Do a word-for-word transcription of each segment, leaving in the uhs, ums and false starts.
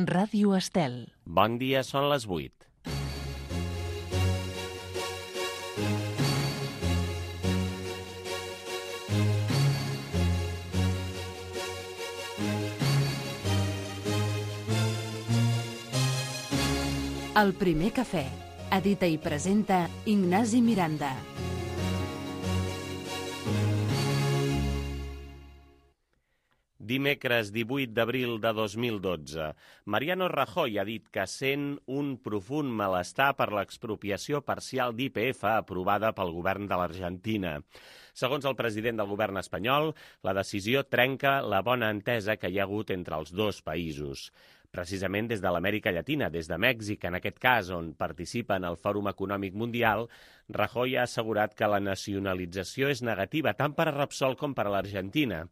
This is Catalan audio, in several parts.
Ràdio Estel. Bon dia, són les vuit. El primer cafè. Edita i presenta Ignasi Miranda. Dimecres divuit d'abril de dos mil dotze, Mariano Rajoy ha dit que sent un profund malestar per l'expropiació parcial d'I P F aprovada pel govern de l'Argentina. Segons el president del govern espanyol, la decisió trenca la bona entesa que hi ha hagut entre els dos països. Precisament des de l'Amèrica Llatina, des de Mèxic, en aquest cas, on participa en el Fòrum Econòmic Mundial, Rajoy ha assegurat que la nacionalització és negativa tant per a Repsol com per a l'Argentina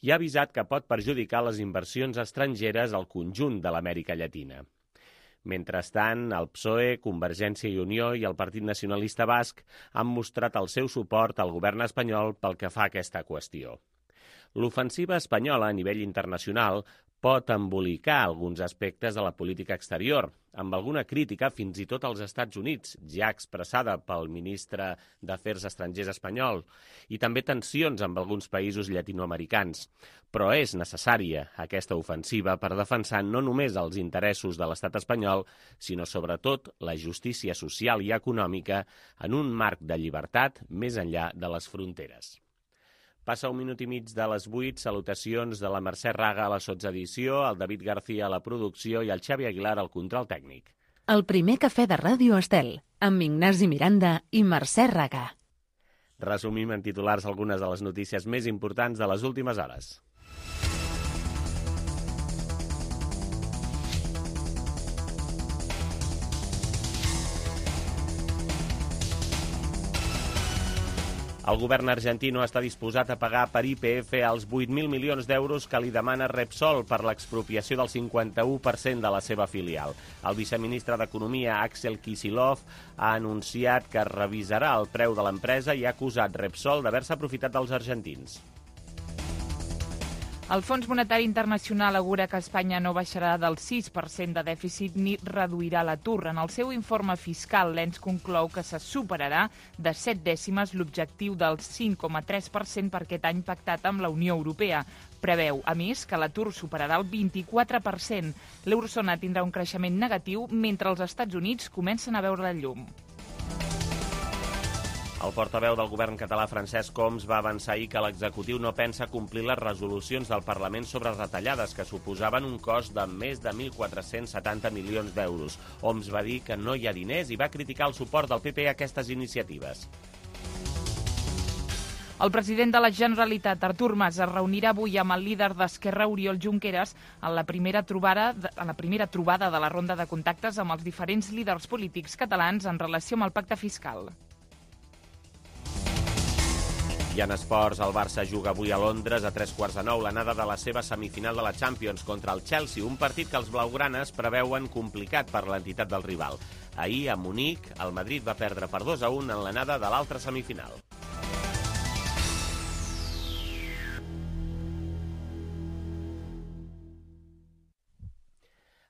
i ha avisat que pot perjudicar les inversions estrangeres al conjunt de l'Amèrica Llatina. Mentrestant, el P S O E, Convergència i Unió i el Partit Nacionalista Basc han mostrat el seu suport al govern espanyol pel que fa a aquesta qüestió. L'ofensiva espanyola a nivell internacional pot embolicar alguns aspectes de la política exterior, amb alguna crítica fins i tot als Estats Units, ja expressada pel ministre d'Afers Estrangers espanyol, i també tensions amb alguns països llatinoamericans. Però és necessària aquesta ofensiva per defensar no només els interessos de l'estat espanyol, sinó sobretot la justícia social i econòmica en un marc de llibertat més enllà de les fronteres. Passa un minut i mig de les vuit, salutacions de la Mercè Raga a la sotsedició, el David García a la producció i el Xavi Aguilar al control tècnic. El primer cafè de Ràdio Estel, amb Ignasi Miranda i Mercè Raga. Resumim en titulars algunes de les notícies més importants de les últimes hores. El govern argentino està disposat a pagar per I P F els vuit mil milions d'euros que li demana Repsol per l'expropiació del cinquanta-u per cent de la seva filial. El viceministre d'Economia, Axel Kicillof, ha anunciat que revisarà el preu de l'empresa i ha acusat Repsol d'haver-se aprofitat dels argentins. El Fons Monetari Internacional assegura que Espanya no baixarà del sis per cent de dèficit ni reduirà l'atur. En el seu informe fiscal, l'ens conclou que se superarà de set dècimes l'objectiu del cinc coma tres per cent per aquest any pactat amb la Unió Europea. Preveu, a més, que l'atur superarà el vint-i-quatre per cent. L'eurozona tindrà un creixement negatiu mentre els Estats Units comencen a veure la llum. El portaveu del govern català, Francesc Homs, va avançar ahir que l'executiu no pensa complir les resolucions del Parlament sobre retallades, que suposaven un cost de més de mil quatre-cents setanta milions d'euros. Homs va dir que no hi ha diners i va criticar el suport del P P a aquestes iniciatives. El president de la Generalitat, Artur Mas, es reunirà avui amb el líder d'Esquerra, Oriol Junqueras, en la primera trobada, en la primera trobada de la ronda de contactes amb els diferents líders polítics catalans en relació amb el pacte fiscal. I en esports, el Barça juga avui a Londres a tres quarts de nou l'anada de la seva semifinal de la Champions contra el Chelsea, un partit que els blaugranes preveuen complicat per l'entitat del rival. Ahir, a Munic, el Madrid va perdre per dos a un en l'anada de l'altra semifinal.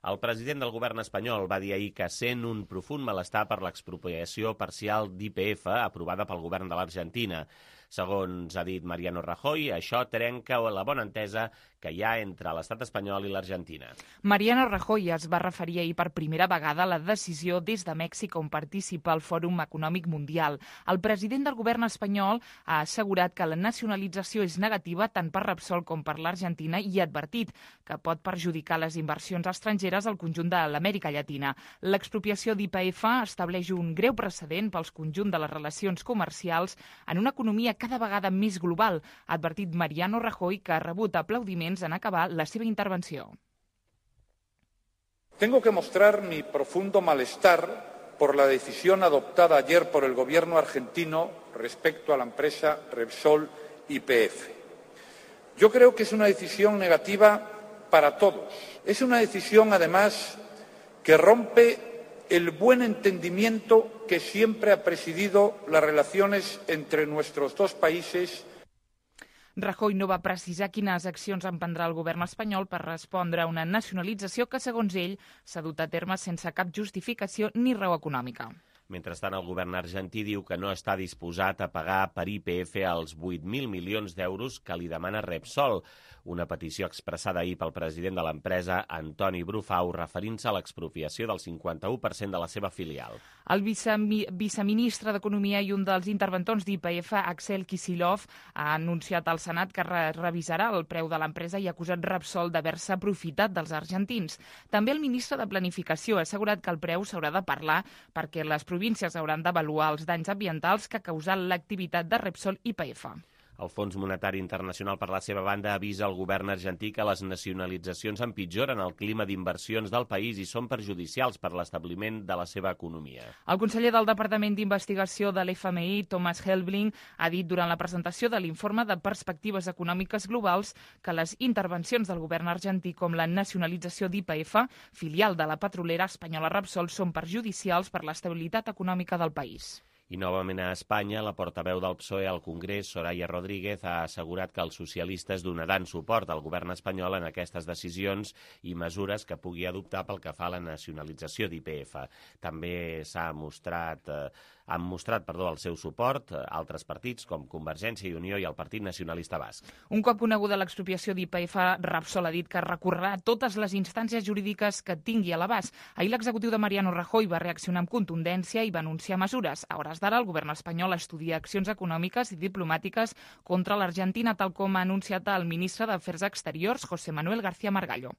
El president del govern espanyol va dir ahir que sent un profund malestar per l'expropiació parcial d'I P F aprovada pel govern de l'Argentina. Segons ha dit Mariano Rajoy, això trenca la bona entesa que hi ha entre l'estat espanyol i l'Argentina. Mariano Rajoy es va referir ahir per primera vegada a la decisió des de Mèxic on participa el Fòrum Econòmic Mundial. El president del govern espanyol ha assegurat que la nacionalització és negativa tant per Repsol com per l'Argentina i ha advertit que pot perjudicar les inversions estrangeres al conjunt de l'Amèrica Llatina. L'expropiació d'I P F estableix un greu precedent pels conjunt de les relacions comercials en una economia cada vegada més global, ha advertit Mariano Rajoy, que ha rebut aplaudiments en acabar la seva intervenció. Tengo que mostrar mi profundo malestar por la decisión adoptada ayer por el gobierno argentino respecto a la empresa Repsol Y P F. Yo creo que es una decisión negativa para todos. Es una decisión, además, que rompe el buen entendimiento que siempre ha presidido las relaciones entre nuestros dos países. Rajoy no va precisar quines accions emprendrà el govern espanyol per respondre a una nacionalització que, segons ell, s'ha dut a terme sense cap justificació ni raó econòmica. Mentrestant, el govern argentí diu que no està disposat a pagar per I P F els vuit mil milions d'euros que li demana Repsol, una petició expressada ahir pel president de l'empresa, Antoni Brufau, referint-se a l'expropiació del cinquanta-u per cent de la seva filial. El viceministre d'Economia i un dels interventors d'I P F, Axel Kicillof, ha anunciat al Senat que re revisarà el preu de l'empresa i ha acusat Repsol d'haver-se aprofitat dels argentins. També el ministre de Planificació ha assegurat que el preu s'haurà de parlar perquè les províncies hauran d'avaluar els danys ambientals que ha causat l'activitat de Repsol I P F. El Fons Monetari Internacional, per la seva banda, avisa al govern argentí que les nacionalitzacions empitjoren el clima d'inversions del país i són perjudicials per l'establiment de la seva economia. El conseller del Departament d'Investigació de l'F M I, Thomas Helbling, ha dit durant la presentació de l'informe de perspectives econòmiques globals que les intervencions del govern argentí com la nacionalització d'I P F, filial de la petrolera espanyola Repsol, són perjudicials per l'estabilitat econòmica del país. I novament a Espanya, la portaveu del P S O E al Congrés, Soraya Rodríguez, ha assegurat que els socialistes donaran suport al govern espanyol en aquestes decisions i mesures que pugui adoptar pel que fa a la nacionalització d'I P F. També s'ha mostrat, eh, han mostrat perdó, el seu suport a altres partits com Convergència i Unió i el Partit Nacionalista Basc. Un cop coneguda l'expropiació d'I P F, Repsol ha dit que recorrerà totes les instàncies jurídiques que tingui a l'abast. Ahir l'executiu de Mariano Rajoy va reaccionar amb contundència i va anunciar mesures. A hores d'ara, el govern espanyol estudia accions econòmiques i diplomàtiques contra l'Argentina, tal com ha anunciat el ministre d'Afers Exteriors, José Manuel García Margallo.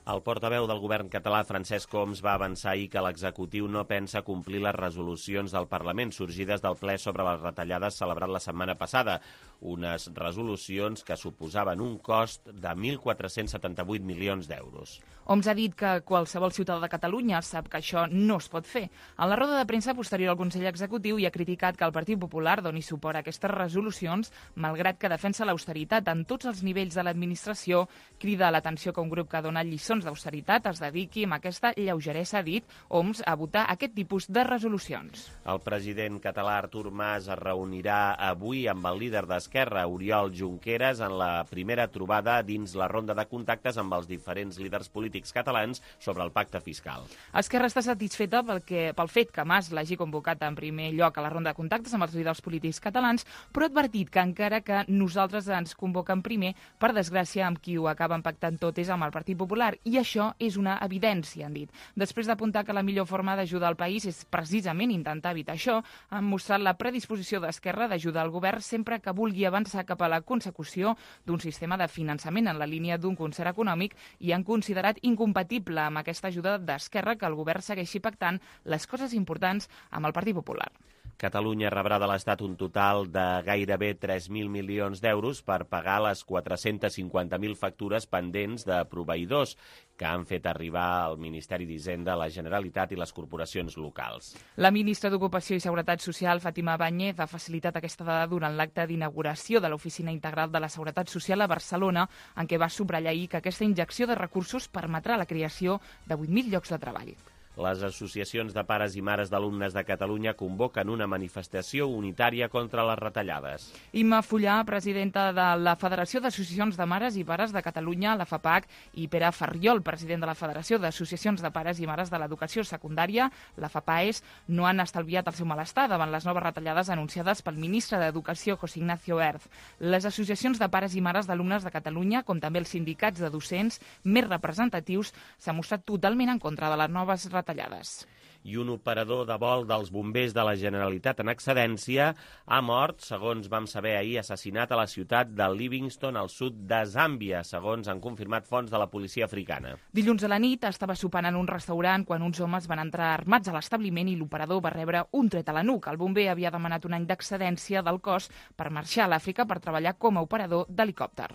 El portaveu del govern català, Francesc Homs, va avançar ahir que l'executiu no pensa complir les resolucions del Parlament sorgides del ple sobre les retallades celebrat la setmana passada, unes resolucions que suposaven un cost de mil quatre-cents setanta-vuit milions d'euros. Homs ha dit que qualsevol ciutadà de Catalunya sap que això no es pot fer. En la roda de premsa posterior al Consell Executiu hi ha criticat que el Partit Popular doni suport a aquestes resolucions, malgrat que defensa l'austeritat en tots els nivells de l'administració, crida a l'atenció que un grup que dona lliçons d'austeritat es dediqui amb aquesta lleugeresa, ha dit Homs, a votar aquest tipus de resolucions. El president català Artur Mas es reunirà avui amb el líder d'Esquerra, Oriol Junqueras, en la primera trobada dins la ronda de contactes amb els diferents líders polítics catalans sobre el pacte fiscal. Esquerra està satisfeta pel, que, pel fet que Mas l'hagi convocat en primer lloc a la ronda de contactes amb els líders polítics catalans, però ha advertit que encara que nosaltres ens convoquen primer, per desgràcia, amb qui ho acaben pactant tot és amb el Partit Popular, i això és una evidència, han dit. Després d'apuntar que la millor forma d'ajudar el país és precisament intentar evitar això, han mostrat la predisposició d'Esquerra d'ajudar el govern sempre que vulgui avançar cap a la consecució d'un sistema de finançament en la línia d'un concert econòmic i han considerat incompatible amb aquesta ajuda d'Esquerra que el govern segueixi pactant les coses importants amb el Partit Popular. Catalunya rebrà de l'Estat un total de gairebé tres mil milions d'euros per pagar les quatre-cents cinquanta mil factures pendents de proveïdors que han fet arribar al Ministeri d'Hisenda, la Generalitat i les corporacions locals. La ministra d'Ocupació i Seguretat Social, Fàtima Báñez, ha facilitat aquesta dada durant l'acte d'inauguració de l'Oficina Integral de la Seguretat Social a Barcelona, en què va subratllar ahir que aquesta injecció de recursos permetrà la creació de vuit mil llocs de treball. Les associacions de pares i mares d'alumnes de Catalunya convoquen una manifestació unitària contra les retallades. Imma Fullà, presidenta de la Federació d'Associacions de Mares i Pares de Catalunya, la FAPAC, i Pere Farriol, president de la Federació d'Associacions de Pares i Mares de l'Educació Secundària, la FAPAES, no han estalviat el seu malestar davant les noves retallades anunciades pel ministre d'Educació, José Ignacio Erz. Les associacions de pares i mares d'alumnes de Catalunya, com també els sindicats de docents més representatius, s'han mostrat totalment en contra de les noves retallades. Tallades. I un operador de vol dels bombers de la Generalitat en excedència ha mort, segons vam saber ahir, assassinat a la ciutat de Livingstone, al sud de Zàmbia, segons han confirmat fonts de la policia africana. Dilluns a la nit estava sopant en un restaurant quan uns homes van entrar armats a l'establiment i l'operador va rebre un tret a la nuca. El bomber havia demanat un any d'excedència del cos per marxar a l'Àfrica per treballar com a operador d'helicòpter.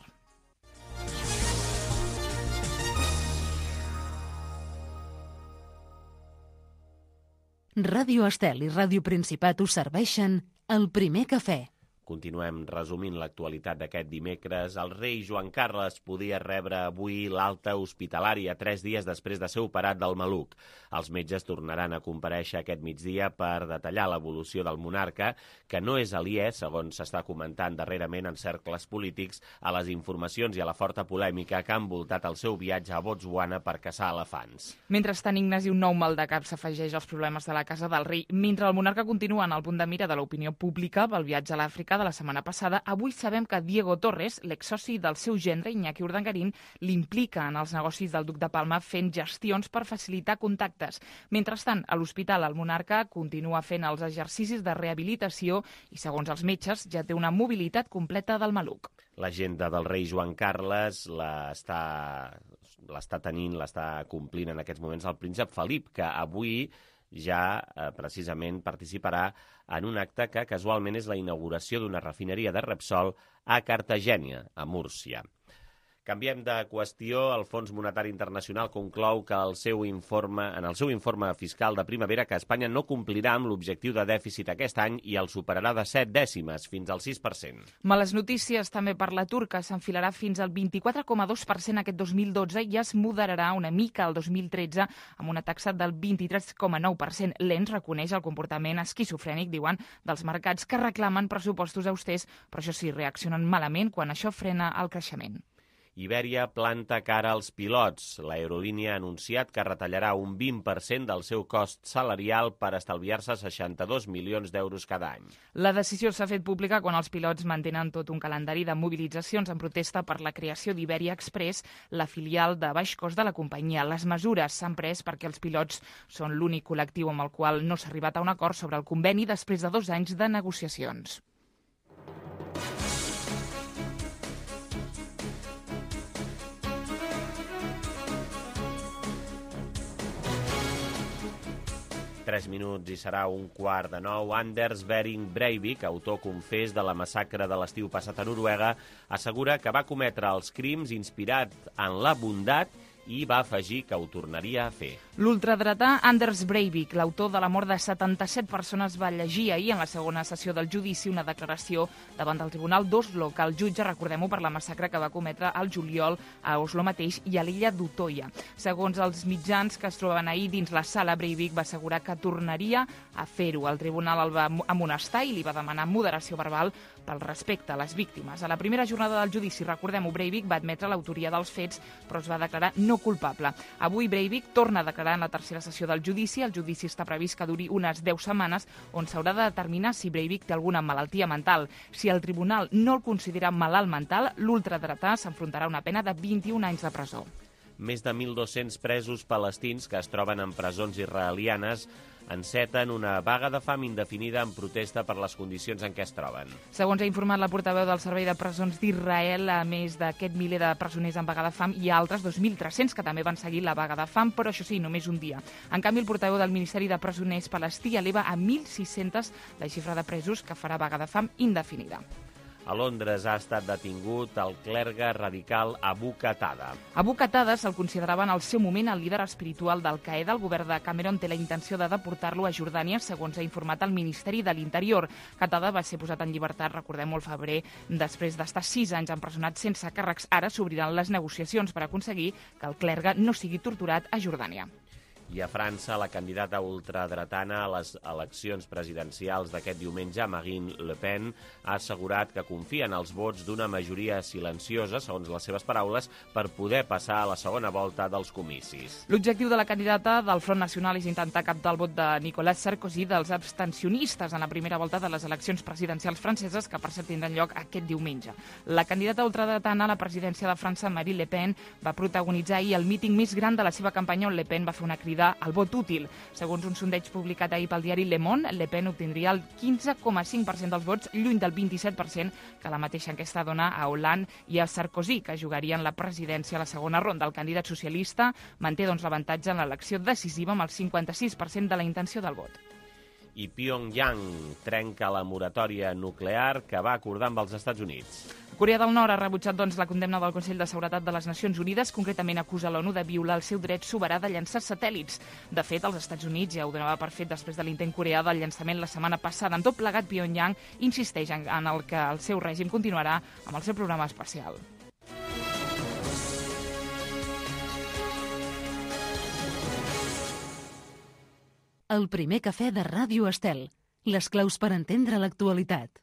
Ràdio Estel i Ràdio Principat us serveixen el primer cafè. Continuem resumint l'actualitat d'aquest dimecres. El rei Joan Carles podia rebre avui l'alta hospitalària tres dies després de ser operat del maluc. Els metges tornaran a comparèixer aquest migdia per detallar l'evolució del monarca, que no és aliè, segons s'està comentant darrerament en cercles polítics, a les informacions i a la forta polèmica que ha envoltat el seu viatge a Botswana per caçar elefants. Mentrestant, Ignasi, un nou mal de cap s'afegeix als problemes de la casa del rei. Mentre el monarca continua en el punt de mira de l'opinió pública pel viatge a l'Àfrica de la setmana passada, avui sabem que Diego Torres, l'exsoci del seu gendre Iñaki Urdangarín, l'implica en els negocis del duc de Palma fent gestions per facilitar contactes. Mentrestant, a l'hospital el monarca continua fent els exercicis de rehabilitació i, segons els metges, ja té una mobilitat completa del maluc. L'agenda del rei Joan Carles l'està l'està tenint, l'està complint en aquests moments el príncep Felip, que avui ja eh, precisament participarà en un acte que casualment és la inauguració d'una refineria de Repsol a Cartagena, a Múrcia. Canviem de qüestió. El Fons Monetari Internacional conclou que el seu informe, en el seu informe fiscal de primavera que Espanya no complirà amb l'objectiu de dèficit aquest any i el superarà de set dècimes, fins al sis per cent. Males notícies també per l'atur, que s'enfilarà fins al vint-i-quatre coma dos per cent aquest dos mil dotze i es moderarà una mica el dos mil tretze amb una taxa del vint-i-tres coma nou per cent. L'Ens reconeix el comportament esquizofrènic, diuen, dels mercats que reclamen pressupostos austers, però això sí, reaccionen malament quan això frena el creixement. Ibèria planta cara als pilots. L'aerolínia ha anunciat que retallarà un vint per cent del seu cost salarial per estalviar-se seixanta-dos milions d'euros cada any. La decisió s'ha fet pública quan els pilots mantenen tot un calendari de mobilitzacions en protesta per la creació d'Ibèria Express, la filial de baix cost de la companyia. Les mesures s'han pres perquè els pilots són l'únic col·lectiu amb el qual no s'ha arribat a un acord sobre el conveni després de dos anys de negociacions. Tres minuts i serà un quart de nou. Anders Behring Breivik, autor confés de la massacre de l'estiu passat a Noruega, assegura que va cometre els crims inspirat en la bondat i va afegir que ho tornaria a fer. L'ultradretà Anders Breivik, l'autor de la mort de setanta-set persones, va llegir ahir en la segona sessió del judici una declaració davant del Tribunal d'Oslo, que el jutge, recordem-ho, per la massacre que va cometre al juliol a Oslo mateix i a l'illa d'Utoya. Segons els mitjans que es trobaven ahir dins la sala, Breivik va assegurar que tornaria a fer-ho. El tribunal el va amonestar i li va demanar moderació verbal pel respecte a les víctimes. A la primera jornada del judici, recordem-ho, Breivik va admetre l'autoria dels fets, però es va declarar no culpable. Avui Breivik torna a declarar en la tercera sessió del judici. El judici està previst que duri unes deu setmanes, on s'haurà de determinar si Breivik té alguna malaltia mental. Si el tribunal no el considera malalt mental, l'ultradretà s'enfrontarà a una pena de vint-i-un anys de presó. Més de mil dos-cents presos palestins que es troben en presons israelianes enceten una vaga de fam indefinida en protesta per les condicions en què es troben. Segons ha informat la portaveu del Servei de Presons d'Israel, a més d'aquest miler de presoners en vaga de fam, hi ha altres dos mil tres-cents que també van seguir la vaga de fam, però això sí, només un dia. En canvi, el portaveu del Ministeri de Presoners palestí eleva a mil sis-cents la xifra de presos que farà vaga de fam indefinida. A Londres ha estat detingut el clergue radical Abu Qatada. Abu Qatada se'l considerava en el seu moment el líder espiritual d'Al-Qaeda. El govern de Cameron té la intenció de deportar-lo a Jordània, segons ha informat el Ministeri de l'Interior. Qatada va ser posat en llibertat, recordem-ho, al febrer, després d'estar sis anys empresonat sense càrrecs. Ara s'obriran les negociacions per aconseguir que el clergue no sigui torturat a Jordània. I a França, la candidata ultradretana a les eleccions presidencials d'aquest diumenge, Marine Le Pen, ha assegurat que confia en els vots d'una majoria silenciosa, segons les seves paraules, per poder passar a la segona volta dels comicis. L'objectiu de la candidata del Front Nacional és intentar captar el vot de Nicolas Sarkozy dels abstencionistes en la primera volta de les eleccions presidencials franceses, que per cert tindran lloc aquest diumenge. La candidata ultradretana a la presidència de França, Marine Le Pen, va protagonitzar ahir el míting més gran de la seva campanya, on Le Pen va fer una crida al vot útil. Segons un sondeig publicat ahir pel diari Le Monde, Le Pen obtindria el quinze coma cinc per cent dels vots, lluny del vint-i-set per cent que la mateixa enquesta dona a Hollande i a Sarkozy, que jugarien la presidència a la segona ronda. El candidat socialista manté doncs l'avantatge en l'elecció decisiva amb el cinquanta-sis per cent de la intenció del vot. I Pyongyang trenca la moratòria nuclear que va acordar amb els Estats Units. Corea del Nord ha rebutjat doncs, la condemna del Consell de Seguretat de les Nacions Unides, concretament acusa l'ONU de violar el seu dret soberà de llançar satèl·lits. De fet, els Estats Units ja ho donava per fet després de l'intent coreà del llançament la setmana passada. En tot plegat, Pyongyang insisteix en, en el que el seu règim continuarà amb el seu programa espacial. El primer cafè de Ràdio Estel. Les claus per entendre l'actualitat.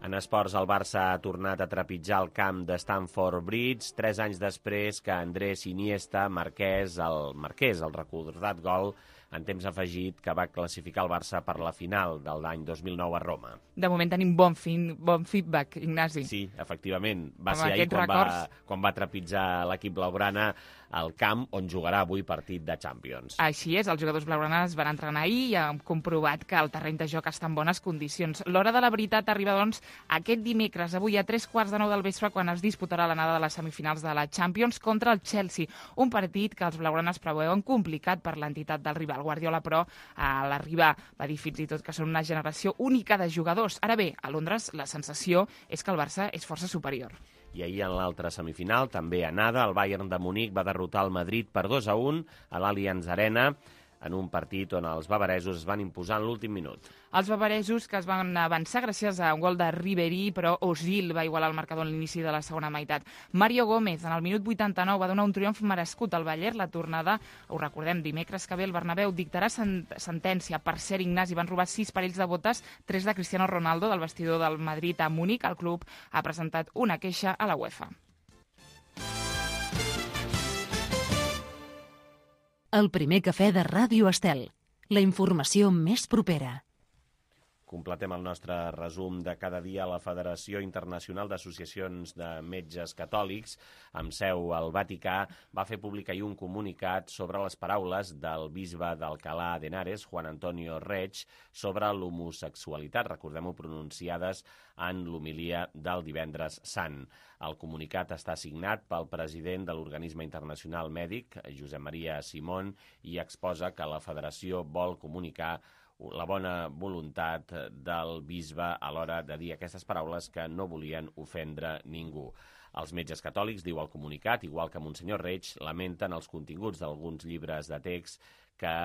En esports, el Barça ha tornat a trepitjar el camp de Stamford Bridge tres anys després que Andrés Iniesta marqués el, marqués el recordat gol en temps afegit que va classificar el Barça per la final de l'any dos mil nou a Roma. De moment tenim bon, fin, bon feedback, Ignasi. Sí, efectivament. Va Amb ser ahir quan va, records... quan va trepitjar l'equip blaugrana al camp on jugarà avui partit de Champions. Així és, els jugadors blaugranes van entrenar ahir i han comprovat que el terreny de joc està en bones condicions. L'hora de la veritat arriba, doncs, aquest dimecres, avui a tres quarts de nou del vespre, quan es disputarà l'anada de les semifinals de la Champions contra el Chelsea, un partit que els blaugranes preveuen complicat per l'entitat del rival. Guardiola, però, a l'arribar va dir fins i tot que són una generació única de jugadors. Ara bé, a Londres la sensació és que el Barça és força superior. I ahir en l'altra semifinal, també a nada, el Bayern de Munic va derrotar el Madrid per dos a un a l'Allianz Arena, en un partit on els bavaresos es van imposar en l'últim minut. Els bavaresos, que es van avançar gràcies a un gol de Ribéry, però Özil va igualar el marcador a l'inici de la segona meitat. Mario Gómez, en el minut vuitanta-nou, va donar un triomf merescut al Bayern. La tornada, ho recordem, dimecres que ve el Bernabéu dictarà sent sentència. Per cert, Ignasi, van robar sis parells de botes, tres de Cristiano Ronaldo del vestidor del Madrid a Múnich. El club ha presentat una queixa a la UEFA. El primer cafè de Ràdio Estel. La informació més propera. Completem el nostre resum de cada dia. La Federació Internacional d'Associacions de Metges Catòlics, amb seu al Vaticà, va fer públic ahir un comunicat sobre les paraules del bisbe d'Alcalá de Henares, Juan Antonio Reig, sobre l'homosexualitat, recordem-ho, pronunciades en l'homilia del divendres sant. El comunicat està signat pel president de l'Organisme Internacional Mèdic, Josep Maria Simón, i exposa que la federació vol comunicar la bona voluntat del bisbe a l'hora de dir aquestes paraules que no volien ofendre ningú. Els metges catòlics, diu el comunicat, igual que Monsenyor Reig, lamenten els continguts d'alguns llibres de text que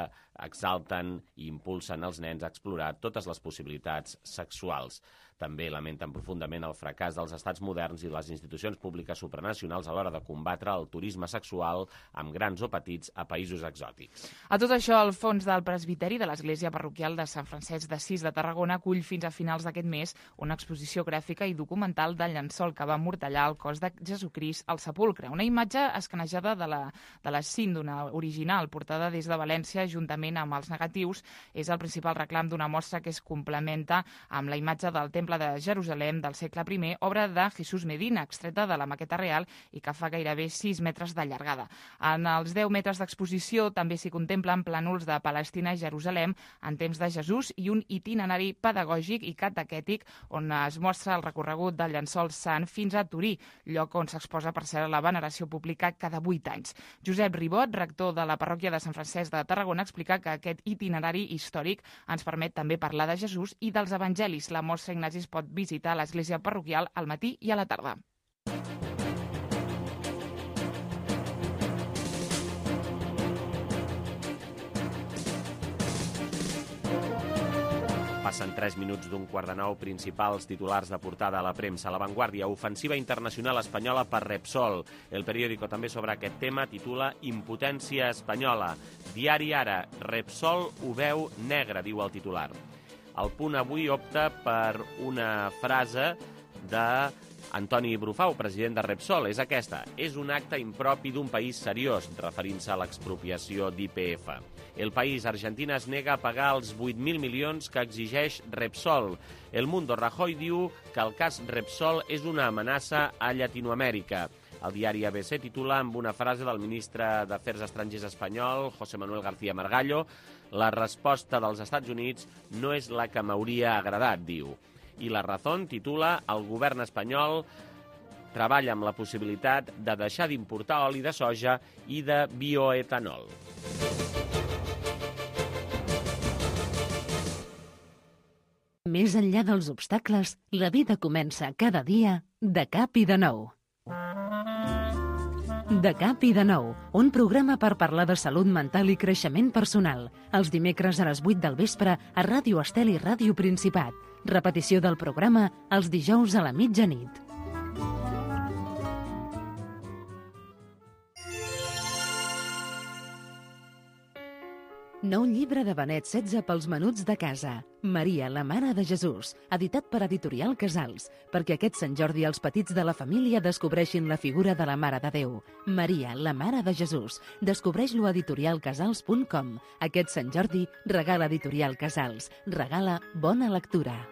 exalten i impulsen els nens a explorar totes les possibilitats sexuals. També lamenten profundament el fracàs dels estats moderns i les institucions públiques supranacionals a l'hora de combatre el turisme sexual amb grans o petits a països exòtics. A tot això, el fons del presbiteri de l'Església Parroquial de Sant Francesc d'Assís de Tarragona acull fins a finals d'aquest mes una exposició gràfica i documental del llençol que va emmortallar el cos de Jesucrist al sepulcre. Una imatge escanejada de la, de la síndona original, portada des de València juntament amb els negatius, és el principal reclam d'una mostra que es complementa amb la imatge del Temple de Jerusalem del segle primer, obra de Jesús Medina, extreta de la maqueta real i que fa gairebé sis metres de llargada. En els deu metres d'exposició també s'hi contemplen plànols de Palestina i Jerusalem en temps de Jesús i un itinerari pedagògic i catequètic on es mostra el recorregut del llençol sant fins a Turí, lloc on s'exposa per ser la veneració pública cada vuit anys. Josep Ribot, rector de la parròquia de Sant Francesc de Tarragona, explica que aquest itinerari històric ens permet també parlar de Jesús i dels evangelis. La mostra, Ignasi, es pot visitar a l'església parroquial al matí i a la tarda. Passen tres minuts d'un quart de nou. Principals titulars de portada a la premsa. La Vanguardia, ofensiva internacional espanyola per Repsol. El periòdico també sobre aquest tema titula Impotència espanyola. Diari Ara, Repsol ho veu negre, diu el titular. El Punt avui opta per una frase de Antoni Brufau, president de Repsol. És aquesta: és un acte impropi d'un país seriós, referint-se a l'expropiació d'I P F. El País, Argentina es nega a pagar els vuit mil milions que exigeix Repsol. El Mundo, Rajoy diu que el cas Repsol és una amenaça a Llatinoamèrica. El diari A B C titula amb una frase del ministre d'Afers Estrangers espanyol, José Manuel García Margallo: la resposta dels Estats Units no és la que m'hauria agradat, diu. I La Razón titula el govern espanyol treballa amb la possibilitat de deixar d'importar oli de soja i de bioetanol. Més enllà dels obstacles, la vida comença cada dia de cap i de nou. De cap i de nou, un programa per parlar de salut mental i creixement personal. Els dimecres a les vuit del vespre a Ràdio Estel i Ràdio Principat. Repetició del programa els dijous a la mitjanit. Nou llibre de Benet setze pels menuts de casa. Maria, la mare de Jesús, editat per Editorial Casals, perquè aquest Sant Jordi els petits de la família descobreixin la figura de la Mare de Déu. Maria, la mare de Jesús. Descobreix-lo a editorial casals punt com. Aquest Sant Jordi regala Editorial Casals. Regala bona lectura.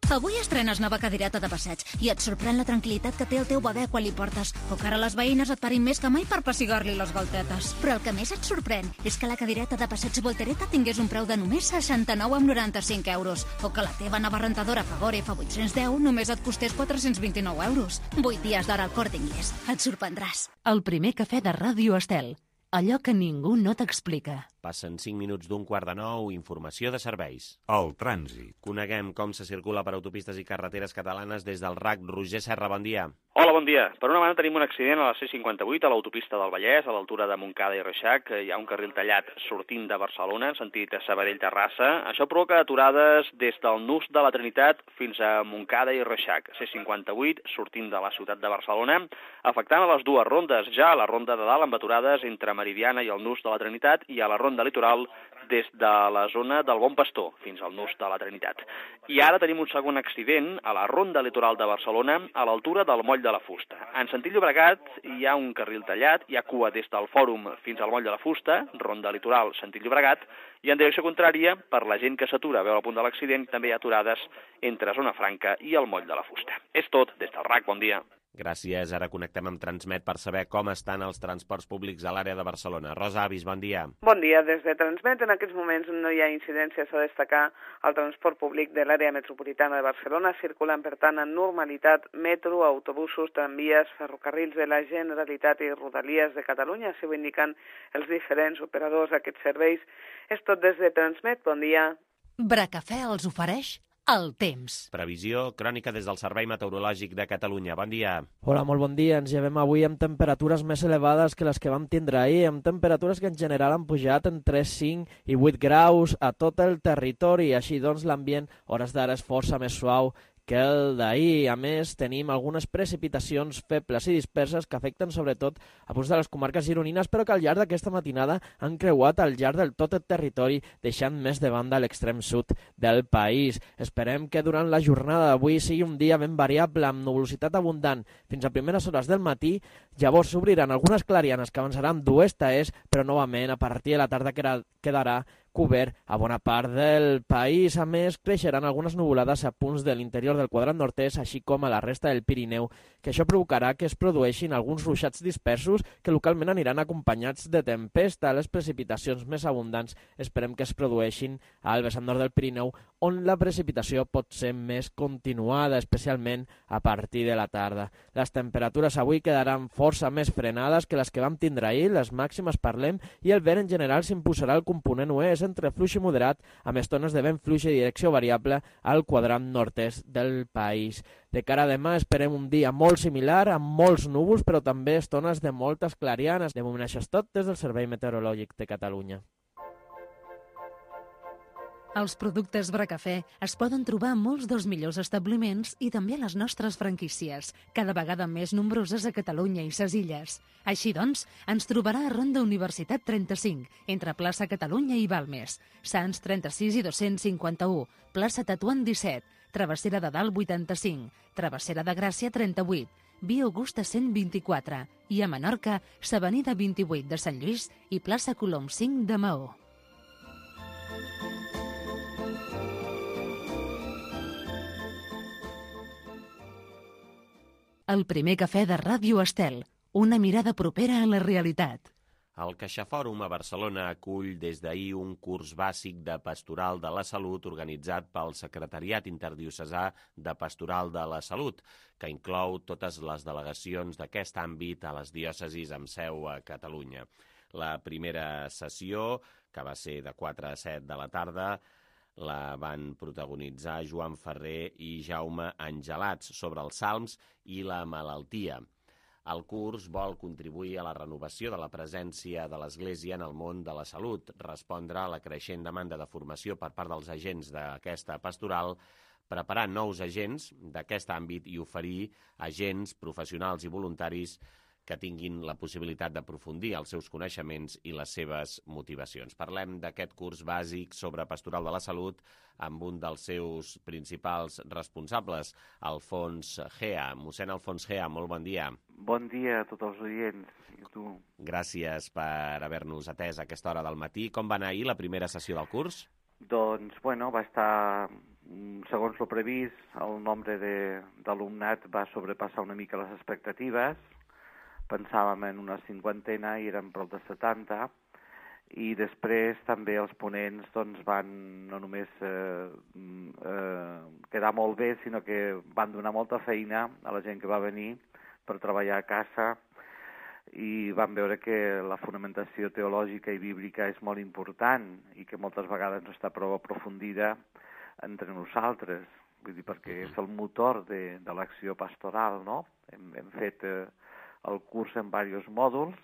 Avui estrenes nova cadireta de passeig i et sorprèn la tranquil·litat que té el teu bebè quan li portes, o que ara les veïnes et parin més que mai per pessigar-li les galtetes. Però el que més et sorprèn és que la cadireta de passeig Voltereta tingués un preu de només seixanta-nou coma noranta-cinc euros, o que la teva nova rentadora Fagore F vuit cents deu només et costés quatre-cents vint-i-nou euros. vuit dies d'hora al Corte Inglés. Et sorprendràs. El primer cafè de Ràdio Estel. Allò que ningú no t'explica. Passen cinc minuts d'un quart de nou, informació de serveis. El trànsit. Coneguem com se circula per autopistes i carreteres catalanes des del R A C. Roger Serra, bon dia. Hola, bon dia. Per una banda tenim un accident a la C cinquanta-vuit a l'autopista del Vallès, a l'altura de Montcada i Reixac. Hi ha un carril tallat sortint de Barcelona, en sentit Sabadell-Terrassa. Això provoca aturades des del nus de la Trinitat fins a Montcada i Reixac. C cinquanta-vuit sortint de la ciutat de Barcelona, afectant a les dues rondes, ja a la ronda de dalt amb aturades entre Meridiana i el nus de la Trinitat i a la ronda litoral des de la zona del Bon Pastor fins al nus de la Trinitat. I ara tenim un segon accident a la ronda litoral de Barcelona a l'altura del Moll de la Fusta. En sentit Llobregat hi ha un carril tallat, hi ha cua des del Fòrum fins al Moll de la Fusta, ronda litoral sentit Llobregat, i en direcció contrària, per la gent que s'atura a veure el punt de l'accident, també hi ha aturades entre Zona Franca i el Moll de la Fusta. És tot, des del R A C, bon dia. Gràcies. Ara connectem amb Transmet per saber com estan els transports públics a l'àrea de Barcelona. Rosa Avis, bon dia. Bon dia. Des de Transmet en aquests moments no hi ha incidències a destacar. El transport públic de l'àrea metropolitana de Barcelona circulen, per tant, en normalitat metro, autobusos, tramvies, ferrocarrils de la Generalitat i Rodalies de Catalunya, així ho indiquen els diferents operadors d'aquests serveis. És tot des de Transmet. Bon dia. Bracafè els ofereix el temps. Previsió crònica des del Servei Meteorològic de Catalunya. Bon dia. Hola, molt bon dia. Ens llevem avui amb temperatures més elevades que les que vam tindre ahir, amb temperatures que en general han pujat entre cinc i vuit graus a tot el territori. Així doncs, l'ambient, hores d'ara, és força més suau que el d'ahir. A més, tenim algunes precipitacions febles i disperses que afecten sobretot a punts de les comarques gironines, però que al llarg d'aquesta matinada han creuat al llarg del tot el territori, deixant més de banda l'extrem sud del país. Esperem que durant la jornada d'avui sigui un dia ben variable, amb nuvolositat abundant fins a primeres hores del matí. Llavors s'obriran algunes clarianes que avançaran d'oest a est, però novament a partir de la tarda quedarà cobert a bona part del país. A més, creixeran algunes nuvolades a punts de l'interior del quadrant nord-est, així com a la resta del Pirineu, que això provocarà que es produeixin alguns ruixats dispersos que localment aniran acompanyats de tempesta. Les precipitacions més abundants esperem que es produeixin al vessant nord del Pirineu, on la precipitació pot ser més continuada, especialment a partir de la tarda. Les temperatures avui quedaran força més frenades que les que vam tindre ahir, les màximes parlem, i el vent en general s'imposarà al component oest entre fluix i moderat, amb estones de vent fluix i direcció variable al quadrant nord-est del país. De cara a demà esperem un dia molt similar, amb molts núvols, però també estones de moltes clarianes. De moment això és tot des del Servei Meteorològic de Catalunya. Els productes Bracafè es poden trobar a molts dels millors establiments i també a les nostres franquícies, cada vegada més nombroses a Catalunya i ses illes. Així doncs, ens trobarà a Ronda Universitat trenta-cinc, entre plaça Catalunya i Balmes, Sants trenta-sis i dos-cents cinquanta-u, plaça Tetuan disset, Travessera de Dalt vuitanta-cinc, Travessera de Gràcia trenta-vuit, Via Augusta cent vint-i-quatre i a Menorca, s'Avenida vint-i-vuit de Sant Lluís i plaça Colom cinc de Maó. El primer cafè de Ràdio Estel, una mirada propera a la realitat. El CaixaFòrum a Barcelona acull des d'ahir un curs bàsic de Pastoral de la Salut organitzat pel Secretariat Interdiocesà de Pastoral de la Salut, que inclou totes les delegacions d'aquest àmbit a les diòcesis amb seu a Catalunya. La primera sessió, que va ser de quatre a set de la tarda, La van protagonitzar Joan Ferrer i Jaume Angelats, sobre els salms i la malaltia. El curs vol contribuir a la renovació de la presència de l'Església en el món de la salut, respondre a la creixent demanda de formació per part dels agents d'aquesta pastoral, preparar nous agents d'aquest àmbit i oferir agents professionals i voluntaris que tinguin la possibilitat d'aprofundir els seus coneixements i les seves motivacions. Parlem d'aquest curs bàsic sobre pastoral de la salut amb un dels seus principals responsables, Alfons Gea. Mossèn Alfons Gea, molt bon dia. Bon dia a tots els oients i a tu. Gràcies per haver-nos atès a aquesta hora del matí. Com va anar ahir la primera sessió del curs? Doncs, bueno, va estar, segons el previst, el nombre d'alumnat va sobrepassar una mica les expectatives. Pensàvem en una cinquantena i eren prop de setanta, i després també els ponents doncs, van no només eh, eh, quedar molt bé, sinó que van donar molta feina a la gent que va venir per treballar a casa, i vam veure que la fonamentació teològica i bíblica és molt important i que moltes vegades no està prou aprofundida entre nosaltres, vull dir, perquè és el motor de, de l'acció pastoral, no? Hem, hem fet eh, el curs en diversos mòduls,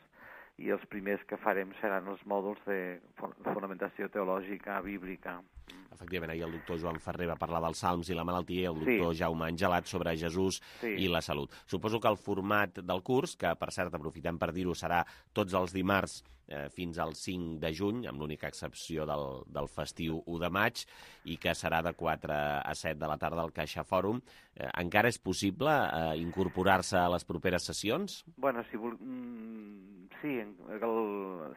i els primers que farem seran els mòduls de fonamentació teològica bíblica. Efectivament, ahir el doctor Joan Ferrer va parlar dels salms i la malaltia, i el doctor sí. Jaume Angelat sobre Jesús sí. i la salut. Suposo que el format del curs, que per cert aprofitem per dir-ho, serà tots els dimarts eh, fins al cinc de juny, amb l'única excepció del, del festiu u de maig, i que serà de quatre a set de la tarda al Caixa Fòrum. Eh, encara és possible eh, incorporar-se a les properes sessions? Bueno, si vol... Mm, sí, el,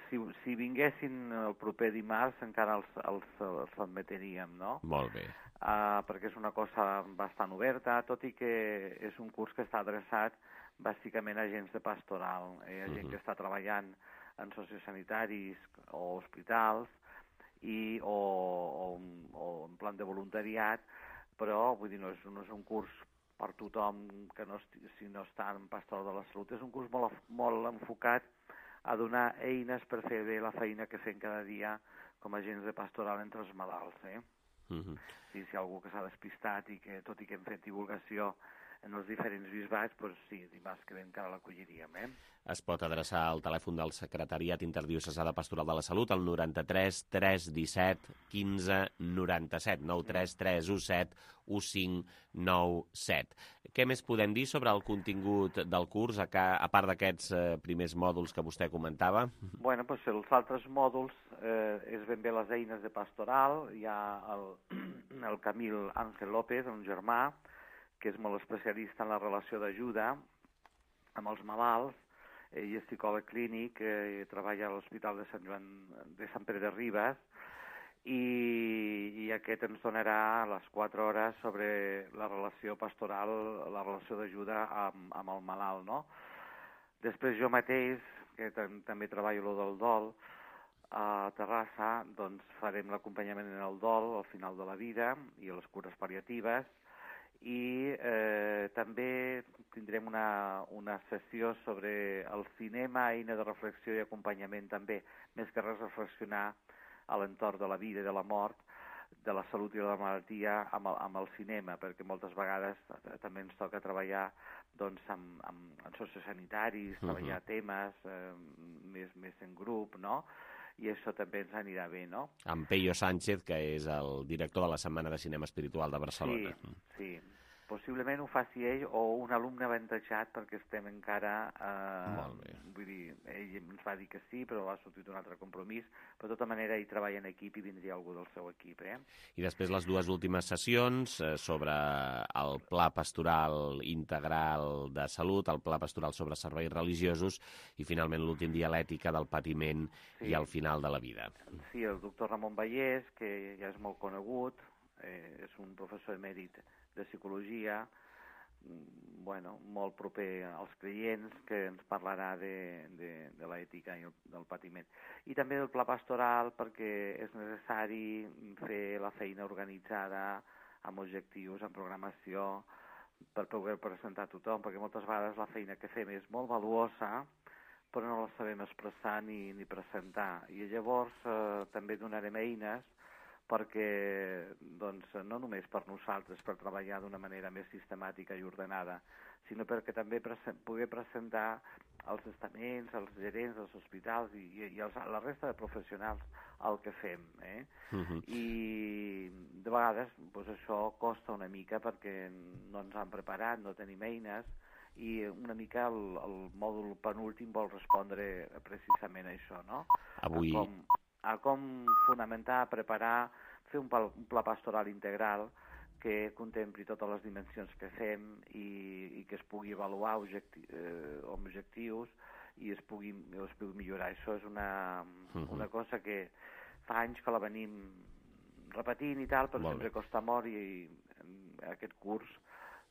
si, si vinguessin el proper dimarts encara els, els, els admetiríem, no? Molt bé. Uh, perquè és una cosa bastant oberta, tot i que és un curs que està adreçat bàsicament a agents de pastoral, eh, a gent uh-huh. que està treballant en sociosanitaris o hospitals i, o, o, o en plan de voluntariat, però vull dir, no és, no és un curs per tothom que no, si no està en pastoral de la salut. És un curs molt, molt enfocat a donar eines per fer bé la feina que fem cada dia com a agents de pastoral entre els malalts. Eh? Uh-huh. Si hi ha algú que s'ha despistat i que, tot i que hem fet divulgació en els diferents bisbats, doncs sí, dimarts que ve encara l'acolliríem. Eh? Es pot adreçar al telèfon del Secretariat Interdiocesà de Pastoral de la Salut al noranta-tres tres disset quinze noranta-set, nou tres tres u set u cinc nou set. Què més podem dir sobre el contingut del curs, a, a part d'aquests eh, primers mòduls que vostè comentava? Bueno, doncs els altres mòduls eh, és ben bé les eines de pastoral. Hi ha el, el Camil Ángel López, un germà, que és molt especialista en la relació d'ajuda amb els malalts. Ell és psicòleg clínic, eh, treballa a l'Hospital de Sant Joan de Sant Pere de Ribes, i, i aquest ens donarà les quatre hores sobre la relació pastoral, la relació d'ajuda amb, amb el malalt, no? Després jo mateix, que també treballo lo del dol, a Terrassa, doncs farem l'acompanyament en el dol al final de la vida i les cures pal·liatives, i eh, també tindrem una, una sessió sobre el cinema, eina de reflexió i acompanyament també, més que res reflexionar a l'entorn de la vida i de la mort, de la salut i de la malaltia amb el, amb el cinema, perquè moltes vegades també ens toca treballar doncs, amb, amb, amb sociosanitaris, uh-huh. treballar temes eh, més, més en grup, no?, i això també ens anirà bé, no? Amb Peyo Sánchez, que és el director de la Setmana de Cinema Espiritual de Barcelona. Sí, sí. Possiblement ho faci ell o un alumne avantatjat, perquè estem encara... Eh, Molt bé. Vull dir, ell ens va dir que sí, però va sortir un altre compromís. Però de tota manera ell treballa en equip i vindria algú del seu equip, eh? I després les dues últimes sessions eh, sobre el Pla Pastoral Integral de Salut, el Pla Pastoral sobre Serveis Religiosos i finalment l'últim dia l'ètica del patiment sí. i el final de la vida. Sí, el doctor Ramon Vallès, que ja és molt conegut, eh, és un professor emèrit de psicologia, bueno, molt proper als creients, que ens parlarà de, de, de l'ètica i el, del patiment. I també del pla pastoral, perquè és necessari fer la feina organitzada amb objectius, amb programació, per poder presentar a tothom, perquè moltes vegades la feina que fem és molt valuosa, però no la sabem expressar ni, ni presentar. I llavors eh, també donarem eines perquè doncs, no només per nosaltres, per treballar d'una manera més sistemàtica i ordenada, sinó perquè també presen poder presentar als estaments, als gerents dels hospitals i, i als, a la resta de professionals el que fem. Eh? Uh-huh. I de vegades doncs, això costa una mica perquè no ens han preparat, no tenim eines, i una mica el, el mòdul penúltim vol respondre precisament a això, no? Avui... A com, a com fonamentar, preparar, fer un, pal, un pla pastoral integral que contempli totes les dimensions que fem i, i que es pugui avaluar objecti eh, objectius i es pugui, es pugui millorar. Això és una, uh-huh. una cosa que fa anys que la venim repetint i tal, però molt sempre bé. Costa molt, i, i aquest curs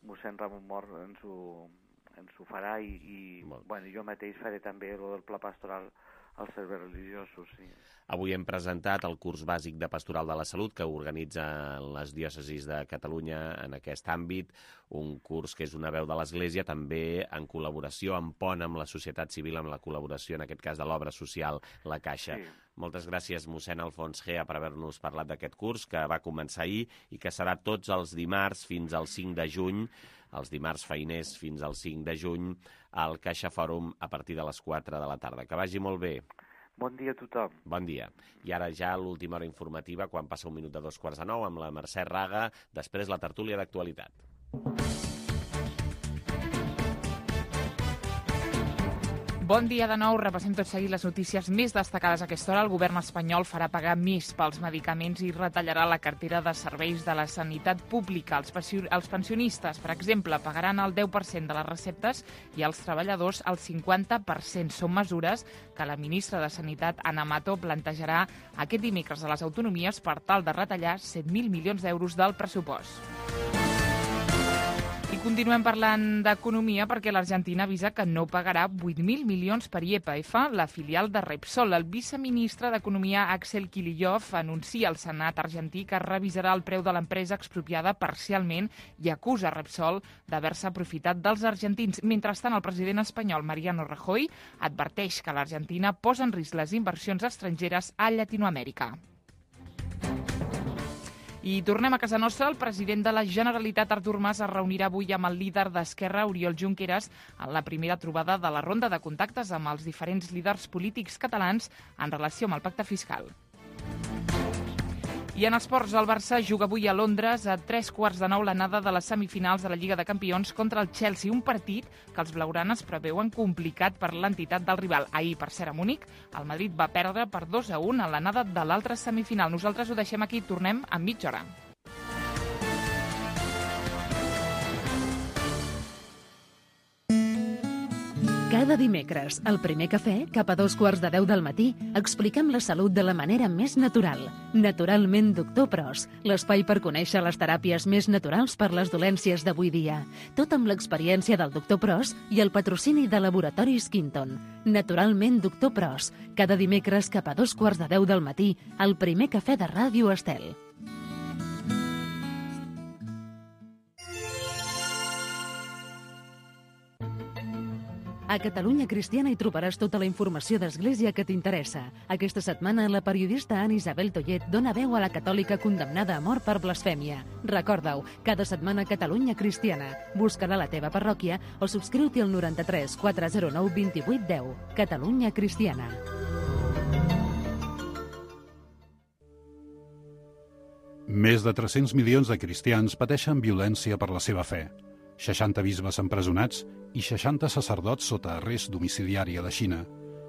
mossèn Ramon Mor ens ho, ens ho farà i, i bueno, jo mateix faré també el del pla pastoral als serveis religiosos, sí. Avui hem presentat el curs bàsic de Pastoral de la Salut que organitzen les diòcesis de Catalunya en aquest àmbit, un curs que és una veu de l'Església, també en col·laboració, en pont amb la societat civil, amb la col·laboració, en aquest cas, de l'obra social La Caixa. Sí. Moltes gràcies, mossèn Alfons Gea, per haver-nos parlat d'aquest curs que va començar ahir i que serà tots els dimarts fins al cinc de juny, els dimarts feiners fins al cinc de juny, al Caixa Fòrum a partir de les quatre de la tarda. Que vagi molt bé. Bon dia a tothom. Bon dia. I ara ja l'última hora informativa, quan passa un minut de dos quarts de nou, amb la Mercè Raga, després la tertúlia d'actualitat. Bon dia de nou. Repassem tot seguit les notícies més destacades a aquesta hora. El govern espanyol farà pagar més pels medicaments i retallarà la cartera de serveis de la sanitat pública. Els, els pensionistes, per exemple, pagaran el deu per cent de les receptes i els treballadors el cinquanta per cent. Són mesures que la ministra de Sanitat, Ana Mato, plantejarà aquest dimecres a les autonomies per tal de retallar set mil milions d'euros del pressupost. I continuem parlant d'economia perquè l'Argentina avisa que no pagarà vuit mil milions per I E P F, la filial de Repsol. El viceministre d'Economia, Axel Kicillof, anuncia al Senat argentí que revisarà el preu de l'empresa expropiada parcialment i acusa Repsol d'haver-se aprofitat dels argentins. Mentrestant, el president espanyol, Mariano Rajoy, adverteix que l'Argentina posa en risc les inversions estrangeres a Llatinoamèrica. I tornem a casa nostra. El president de la Generalitat, Artur Mas, es reunirà avui amb el líder d'Esquerra, Oriol Junqueras, en la primera trobada de la ronda de contactes amb els diferents líders polítics catalans en relació amb el pacte fiscal. I en esports, el Barça juga avui a Londres a tres quarts de nou l'anada de les semifinals de la Lliga de Campions contra el Chelsea, un partit que els blaugranes preveuen complicat per l'entitat del rival. Ahir, per ser a Múnich, el Madrid va perdre per dos a un a l'anada de l'altra semifinal. Nosaltres ho deixem aquí, tornem en mitja hora. Cada dimecres, al primer cafè, cap a dos quarts de deu del matí, expliquem la salut de la manera més natural. Naturalment, doctor Pros, l'espai per conèixer les teràpies més naturals per les dolències d'avui dia. Tot amb l'experiència del doctor Pros i el patrocini de Laboratoris Quinton. Naturalment, doctor Pros, cada dimecres cap a dos quarts de deu del matí, al primer cafè de Ràdio Estel. A Catalunya Cristiana hi trobaràs tota la informació d'Església que t'interessa. Aquesta setmana, la periodista Anna Isabel Tollet dona veu a la catòlica condemnada a mort per blasfèmia. Recorda-ho, cada setmana a Catalunya Cristiana. Busca-la a la teva parròquia o subscriu-t'hi al noranta-tres quatre zero nou vint vuit deu. Catalunya Cristiana. Més de tres-cents milions de cristians pateixen violència per la seva fe. seixanta bisbes empresonats i seixanta sacerdots sota arrest domiciliari a la Xina,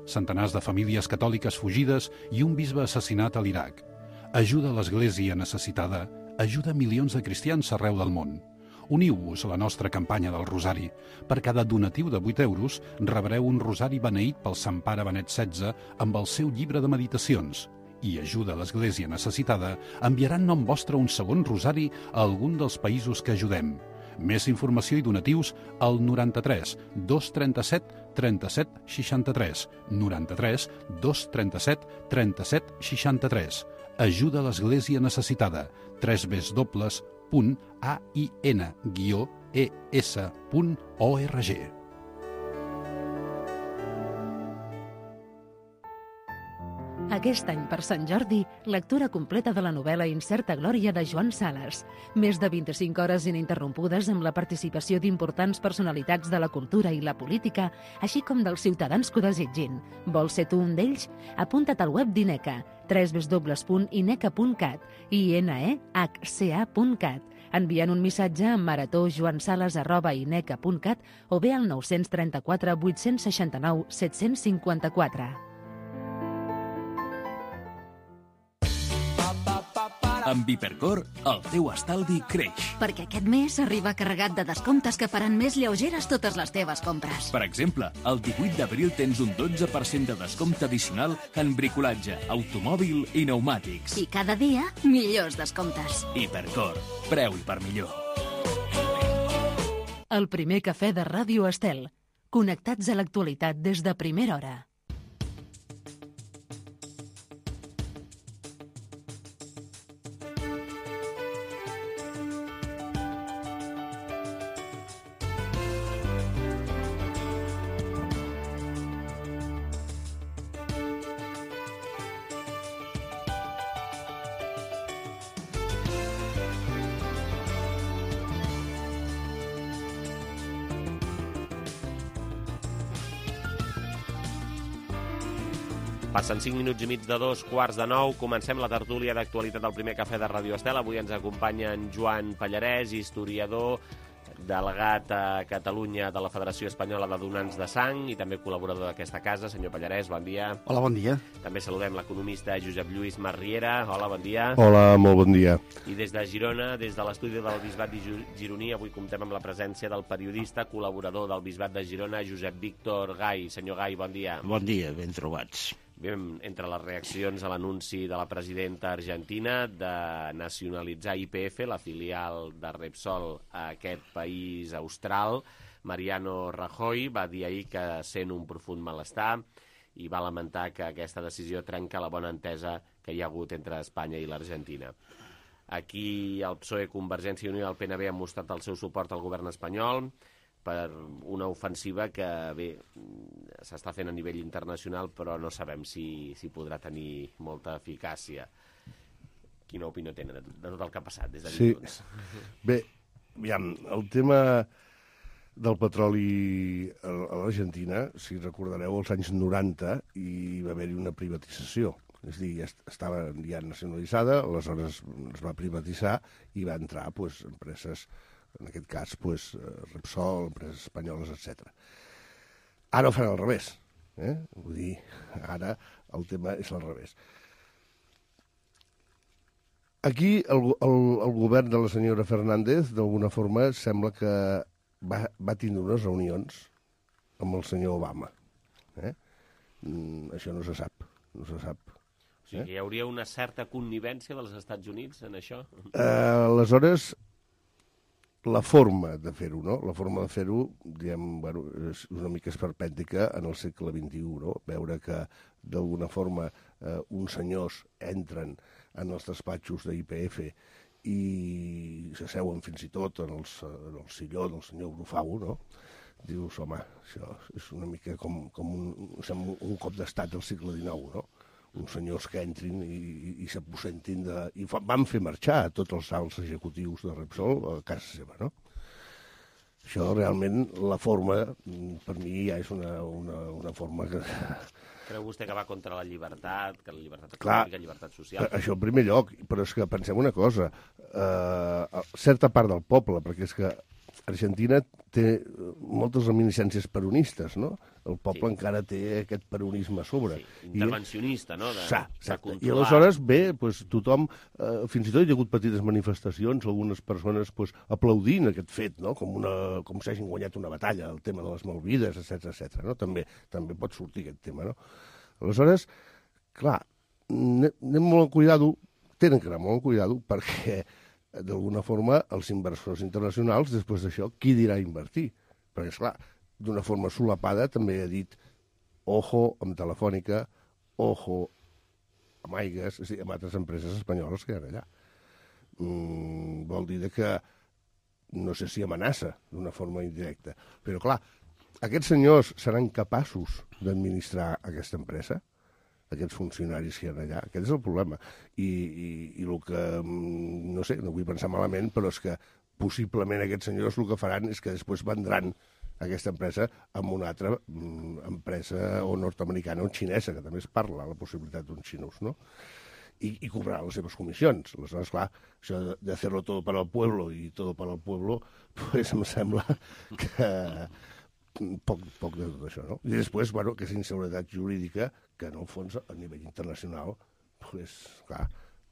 centenars de famílies catòliques fugides i un bisbe assassinat a l'Iraq. Ajuda a l'Església necessitada, ajuda milions de cristians arreu del món. Uniu-vos a la nostra campanya del Rosari. Per cada donatiu de vuit euros rebreu un rosari beneït pel Sant Pare Benet setze amb el seu llibre de meditacions. I ajuda a l'Església necessitada enviarà en nom vostre un segon rosari a algun dels països que ajudem. Més informació i donatius al noranta-tres dos trenta-set trenta-set seixanta-tres, noranta-tres dos trenta-set trenta-set seixanta-tres. Ajuda a l'Església necessitada. w w w punt a i n guió e s punt org. Aquest any, per Sant Jordi, lectura completa de la novel·la Incerta Glòria de Joan Sales. Més de vint-i-cinc hores ininterrompudes amb la participació d'importants personalitats de la cultura i la política, així com dels ciutadans que ho desitgin. Vols ser tu un d'ells? Apunta't al web d'INECA, w w w punt ineca punt cat, i n e h c a punt cat, enviant un missatge a marató.joansales arroba ineca punt cat o bé al nou tres quatre vuit sis nou set cinc quatre. Amb Hipercor, el teu estalvi creix. Perquè aquest mes arriba carregat de descomptes que faran més lleugeres totes les teves compres. Per exemple, el divuit d'abril tens un dotze per cent de descompte addicional en bricolatge, automòbil i pneumàtics. I cada dia, millors descomptes. Hipercor, preu i per millor. El primer cafè de Ràdio Estel. Connectats a l'actualitat des de primera hora. Passen cinc minuts i mig de dos quarts de nou. Comencem la tertúlia d'actualitat del primer cafè de Ràdio Estel. Avui ens acompanya en Joan Pallarès, historiador, delegat a Catalunya de la Federació Espanyola de Donants de Sang i també col·laborador d'aquesta casa. Senyor Pallarès, bon dia. Hola, bon dia. També saludem l'economista Josep Lluís Marriera. Hola, bon dia. Hola, molt bon dia. I des de Girona, des de l'estudi del Bisbat Gironí, avui comptem amb la presència del periodista, col·laborador del Bisbat de Girona, Josep Víctor Gai. Senyor Gai, bon dia. Bon dia, ben trobats. Bé, entre les reaccions a l'anunci de la presidenta argentina de nacionalitzar I P F, la filial de Repsol a aquest país austral, Mariano Rajoy va dir ahir que sent un profund malestar i va lamentar que aquesta decisió trenca la bona entesa que hi ha hagut entre Espanya i l'Argentina. Aquí el P S O E, Convergència i Unió i el P N B han mostrat el seu suport al govern espanyol per una ofensiva que, bé, s'està fent a nivell internacional, però no sabem si, si podrà tenir molta eficàcia. Quina opinió tenen de, de tot el que ha passat des de sí. dilluns? Bé, aviam, el tema del petroli a l'Argentina, si recordareu, als anys noranta hi va haver-hi una privatització. És a dir, estava ja nacionalitzada, aleshores es va privatitzar i va entrar pues, empreses, en aquest cas pues, Repsol, empreses espanyoles, etcètera. Ara ho fan al revés. Eh? Vull dir, ara el tema és al revés. Aquí el, el, el govern de la senyora Fernández, d'alguna forma, sembla que va, va tindre unes reunions amb el senyor Obama. Eh? Mm, això no se sap. No se sap. O sigui, hi hauria una certa connivència dels Estats Units en això? Eh, aleshores, la forma de fer-ho, no? La forma de fer-ho, diguem, bueno, és una mica esperpèntica en el segle vint-i-u, no? Veure que, d'alguna forma, eh, uns senyors entren en els despatxos d'I P F i s'asseuen fins i tot en, els, en el silló del senyor Brufau, no? Dius, home, això és una mica com, com un, un cop d'estat del segle dinou, no? Uns senyors que entrin i, i, i s'aposentin de... I fa, van fer marxar tots els alts executius de Repsol a casa seva, no? Això realment, la forma, per mi ja és una, una, una forma que... Creu vostè que va contra la llibertat, que la llibertat Clar, econòmica, llibertat social? Això en primer lloc, però és que pensem una cosa, eh, certa part del poble, perquè és que Argentina té moltes reminiscències peronistes, no? El poble sí. encara té aquest peronisme a sobre. Sí, intervencionista, I, no? De, sa, de I aleshores, bé, pues, tothom, eh, fins i tot hi ha hagut petites manifestacions, algunes persones pues, aplaudint aquest fet, no? Com, una, com si hagin guanyat una batalla, el tema de les Malvides, etcètera, etcètera. No? També, també pot sortir aquest tema, no? Aleshores, clar, anem molt amb cuidado, tenen que anar molt amb cuidado, perquè d'alguna forma, els inversors internacionals, després d'això, qui dirà invertir? Perquè, esclar, d'una forma solapada també ha dit ojo amb Telefònica, ojo amb Aigües, és a dir, amb altres empreses espanyoles que hi ha allà. Mm, vol dir que no sé si amenaça d'una forma indirecta. Però, clar, aquests senyors seran capaços d'administrar aquesta empresa? aquests funcionaris que hi ha allà. Aquest és el problema. I, i, i el que, no sé, no vull pensar malament, però és que possiblement aquests senyors el que faran és que després vendran aquesta empresa amb una altra mm, empresa o nord-americana o xinesa, que també es parla la possibilitat d'uns xinos, no? I, i cobrar les seves comissions. Aleshores, clar, això de, de fer-lo tot per al pueblo i tot per al pueblo, pues em sembla que poc, poc de tot això, no? I després, bueno, que és inseguretat jurídica, que en el fons, a nivell internacional, pues, clar,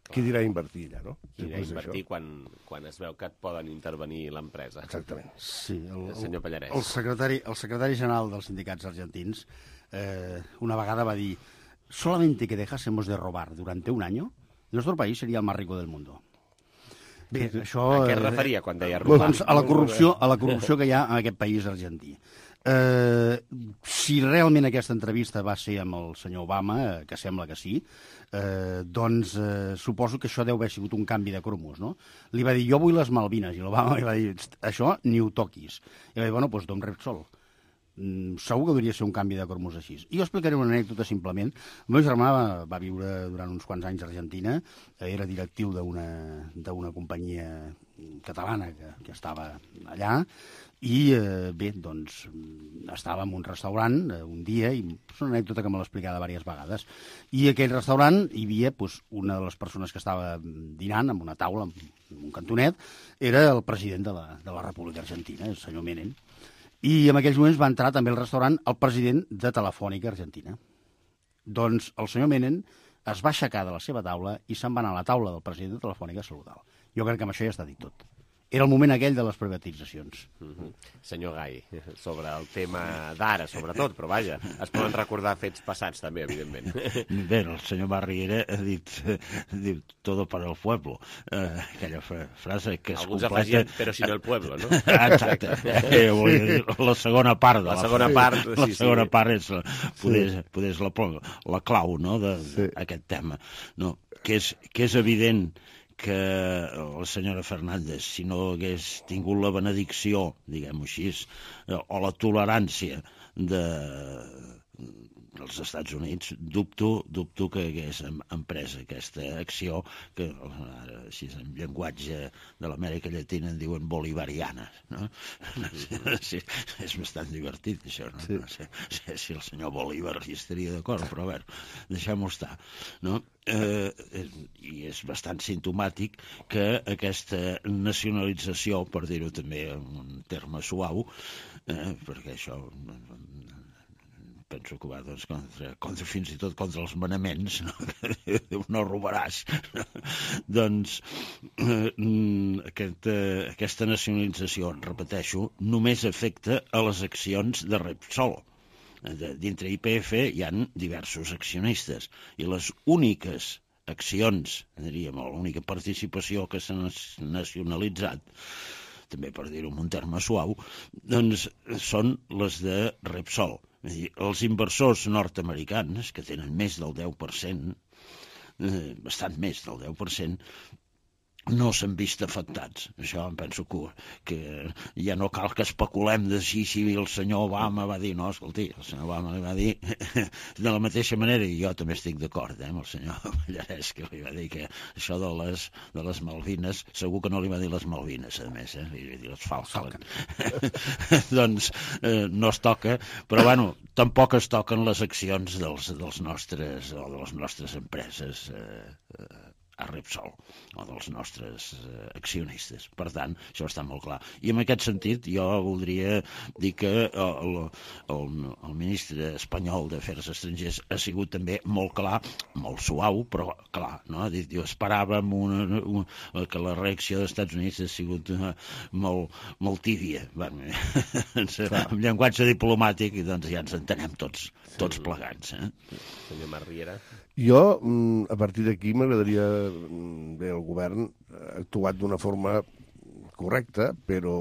qui dirà invertir allà, no? Qui dirà invertir quan, quan es veu que et poden intervenir l'empresa. Exactament. Sí, el, el senyor Pallarès. El secretari, el secretari general dels sindicats argentins eh, una vegada va dir: solamente que dejásemos de robar durante un año, nuestro país sería el más rico del mundo. Bé, això... A què es referia quan deia robar? Doncs a la corrupció, a la corrupció que hi ha en aquest país argentí. Eh, si realment aquesta entrevista va ser amb el senyor Obama, eh, que sembla que sí, eh, doncs eh, suposo que això deu haver sigut un canvi de cromos, no? Li va dir, jo vull les Malvines, i l'Obama li va dir, això ni ho toquis. I va dir, bueno, doncs Don Repsol. Mm, segur que hauria de ser un canvi de cromos així. I jo explicaré una anècdota simplement. El meu germà va, va viure durant uns quants anys a Argentina, era directiu d'una companyia catalana que, que estava allà, i eh, bé, doncs estava en un restaurant eh, un dia, i és una anècdota que me l'ha explicada diverses vegades, i aquell restaurant hi havia pues, una de les persones que estava dinant en una taula, en un cantonet, era el president de la, de la República Argentina, el senyor Menem. I en aquells moments va entrar també al restaurant el president de Telefònica Argentina. Doncs el senyor Menem es va aixecar de la seva taula i se'n va anar a la taula del president de Telefònica a saludar-lo. Jo crec que amb això ja està dit tot. Era el moment aquell de les privatitzacions. Mm-hmm. Senyor Gai, sobre el tema d'ara, sobretot, però vaja, es poden recordar fets passats també, evidentment. Bé, el senyor Barriera ha dit, dit todo para el pueblo, eh, aquella frase que es Alguns completa... afegien, però si no el pueblo, no? Exacte, eh, dir, la segona part de la, la segona part, la sí, segona sí. part és, poder, sí. poder és la, la clau, no?, d'aquest sí. tema, no? Que és, que és evident que la senyora Fernández, si no hagués tingut la benedicció, diguem-ho així, o la tolerància de, dels Estats Units, dubto, dubto que hagués emprès aquesta acció, que ara, així en llenguatge de l'Amèrica Llatina en diuen bolivariana, no? Sí, és bastant divertit, això, no? Sí. No sé, sé si el senyor Bolívar hi estaria d'acord, però a veure, deixem-ho estar, no? Eh, i és bastant simptomàtic que aquesta nacionalització, per dir-ho també en un terme suau, eh, perquè això penso que va doncs, contra, contra, fins i tot contra els manaments, no, no robaràs. Doncs eh, aquest, eh, aquesta nacionalització, repeteixo, només afecta a les accions de Repsol. Dintre I P F hi ha diversos accionistes i les úniques accions, diríem, l'única participació que s'ha nacionalitzat, també per dir-ho en un terme suau, doncs són les de Repsol. És a dir, els inversors nord-americans, que tenen més del deu per cent, eh, bastant més del deu per cent, no s'han vist afectats. Això em penso que, que ja no cal que especulem de si, si el senyor Obama va dir, no, escolti, el senyor Obama li va dir de la mateixa manera, i jo també estic d'acord eh, amb el senyor Pallarès, que li va dir que això de les, de les Malvines, segur que no li va dir les Malvines, a més, eh, li va dir les Falkland. Doncs eh, no es toca, però bueno, tampoc es toquen les accions dels, dels nostres, o de les nostres empreses eh, eh, a Repsol, o dels nostres eh, accionistes. Per tant, això està molt clar. I en aquest sentit, jo voldria dir que el, el, el ministre espanyol d'Afers Estrangers ha sigut també molt clar, molt suau, però clar, no? Ha dit, jo esperàvem una, una, que la reacció dels Estats Units ha sigut uh, molt, molt tíbia. Bueno, amb llenguatge diplomàtic, doncs ja ens entenem tots, tots plegats. Eh? Senyor Marriera. Jo, a partir d'aquí, m'agradaria... Bé, el govern ha actuat d'una forma correcta, però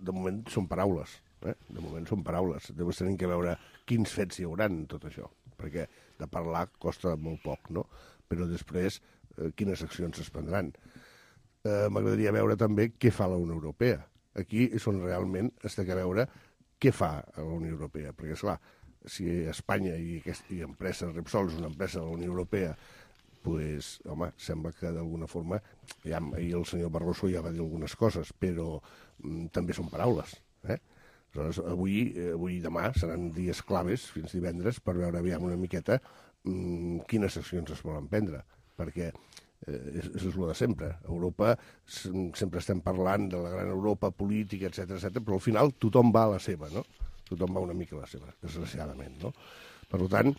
de moment són paraules. Eh? De moment són paraules. Llavors tenim que veure quins fets hi haurà en tot això, perquè de parlar costa molt poc, no? Però després, eh, quines accions es prendran. Eh, M'agradaria veure també què fa la Unió Europea. Aquí és on realment es té que veure què fa la Unió Europea, perquè, esclar, si Espanya i, aquest, i empresa Repsol és una empresa de la Unió Europea, pues, home, sembla que d'alguna forma, ja, ahir el senyor Barroso ja va dir algunes coses, però mm, també són paraules. Eh? Aleshores, avui, avui i demà seran dies claves, fins divendres, per veure aviam una miqueta mm, quines accions es volen prendre, perquè eh, és, és el de sempre. A Europa sempre estem parlant de la gran Europa política, etcètera, etcètera, però al final tothom va a la seva, no? Tothom va una mica a la seva, desgraciadament, no? Per tant,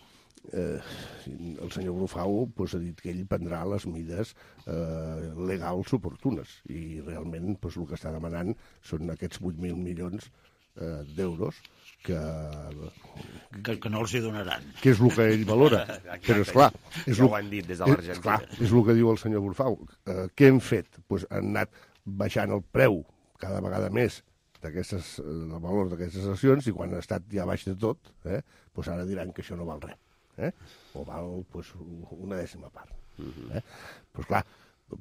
eh, el senyor Brufau pues, ha dit que ell prendrà les mides eh, legals oportunes i realment pues, el que està demanant són aquests vuit mil milions eh, d'euros que... que... Que no els hi donaran. Que és el que ell valora. Exacte, però, esclar... És ja lo, ho han dit des de l'Argentina. És, clar, és el que diu el senyor Brufau. Eh, què hem fet? Pues, han anat baixant el preu cada vegada més d'aquestes, el valor d'aquestes accions, i quan ha estat ja baix de tot, eh, doncs ara diran que això no val res, eh? O val pues, una dècima part. Eh? Doncs clar,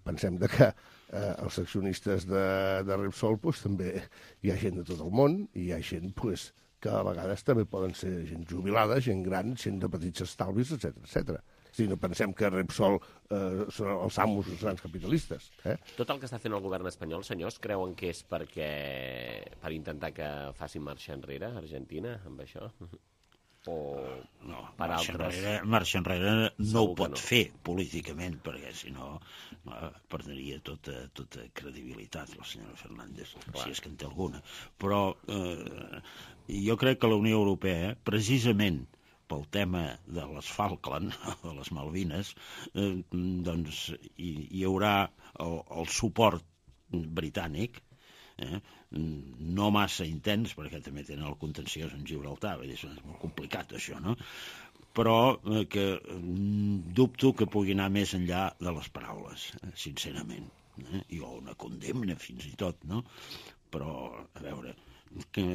pensem de que eh, els accionistes de, de Repsol pues, també hi ha gent de tot el món, i hi ha gent pues, que a vegades també poden ser gent jubilada, gent gran, gent de petits estalvis, etcètera, etcètera. Si no pensem que Repsol eh, són els amos dels grans capitalistes. Eh? Tot el que està fent el govern espanyol, senyors, creuen que és perquè per intentar que faci marxa enrere Argentina amb això? O no, per marxa altres? Enrere, marxa enrere no Segur ho pot no. fer políticament, perquè si no eh, perdria tota, tota credibilitat la senyora Fernández, Clar. si és que en té alguna. Però eh, jo crec que la Unió Europea, precisament pel tema de les Falkland, de les Malvines, eh, doncs hi, hi haurà el, el suport britànic, eh, no massa intens, perquè també tenen el contenciós en Gibraltar, vull dir, és molt complicat això, no? Però eh, que dubto que pugui anar més enllà de les paraules, eh, sincerament. Eh? I o una condemna, fins i tot, no? Però, a veure, que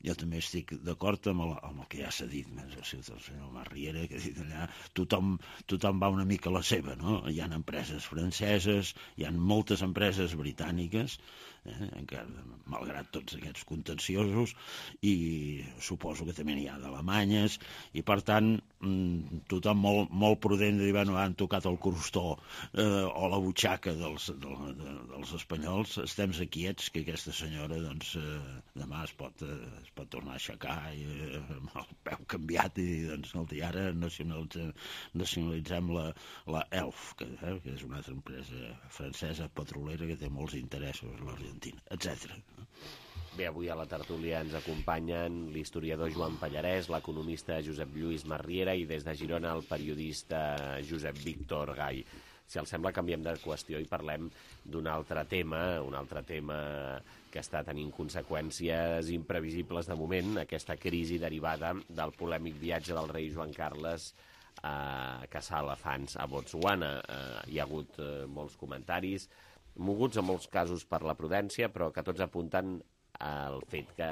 jo també estic d'acord amb, el, amb el que ja s'ha dit, el senyor Marriera, que ha dit allà, tothom, tothom va una mica a la seva, no? Hi ha empreses franceses, hi ha moltes empreses britàniques, eh, encara, malgrat tots aquests contenciosos, i suposo que també n'hi ha d'alemanyes, i per tant, tothom molt, molt prudent de dir, bueno, han tocat el crostó eh, o la butxaca dels, de, de, dels espanyols, estem quiets, que aquesta senyora, doncs, eh, demà es pot... Eh, es pot tornar a aixecar i, eh, amb el peu canviat i doncs ara nacionalitzem, nacionalitzem la, la E L F, que, eh, que és una altra empresa francesa petrolera que té molts interessos a l'Argentina, etcètera. Bé, avui a la tertúlia ens acompanyen l'historiador Joan Pallarès, l'economista Josep Lluís Marriera i des de Girona el periodista Josep Víctor Gay. Si els sembla, canviem de qüestió i parlem d'un altre tema, un altre tema que està tenint conseqüències imprevisibles de moment, aquesta crisi derivada del polèmic viatge del rei Joan Carles a caçar elefants a Botswana. Eh, hi ha hagut eh, molts comentaris, moguts en molts casos per la prudència, però que tots apunten al fet que,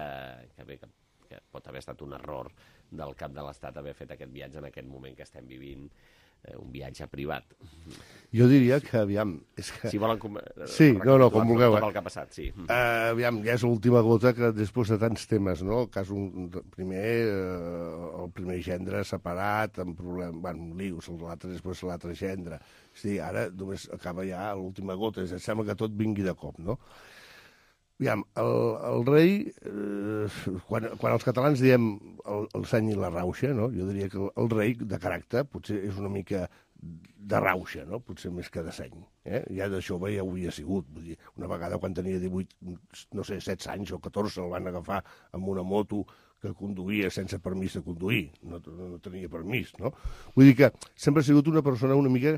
que, bé, que, que pot haver estat un error del cap de l'Estat haver fet aquest viatge en aquest moment que estem vivint, eh, un viatge privat. Jo diria que, aviam... És que... Si volen... Com... Sí, no, no, com vulgueu. Tot el que ha passat, sí. Uh, aviam, ja és l'última gota que després de tants temes, no? El cas un, primer, uh, el primer gendre separat, amb problemes, bueno, lius, l'altre després l'altre gendre. Sí, ara només acaba ja l'última gota, és, sembla que tot vingui de cop, no? Aviam, el, el rei, eh, quan, quan els catalans diem el, el seny i la rauxa, no? Jo diria que el, el rei, de caràcter, potser és una mica de rauxa, no? Potser més que de seny. Eh? Ja de jove ja ho havia sigut. Vull dir, una vegada quan tenia divuit, no sé, setze anys o catorze, el van agafar amb una moto que conduïa sense permís de conduir. No, no tenia permís, no? Vull dir que sempre ha sigut una persona una mica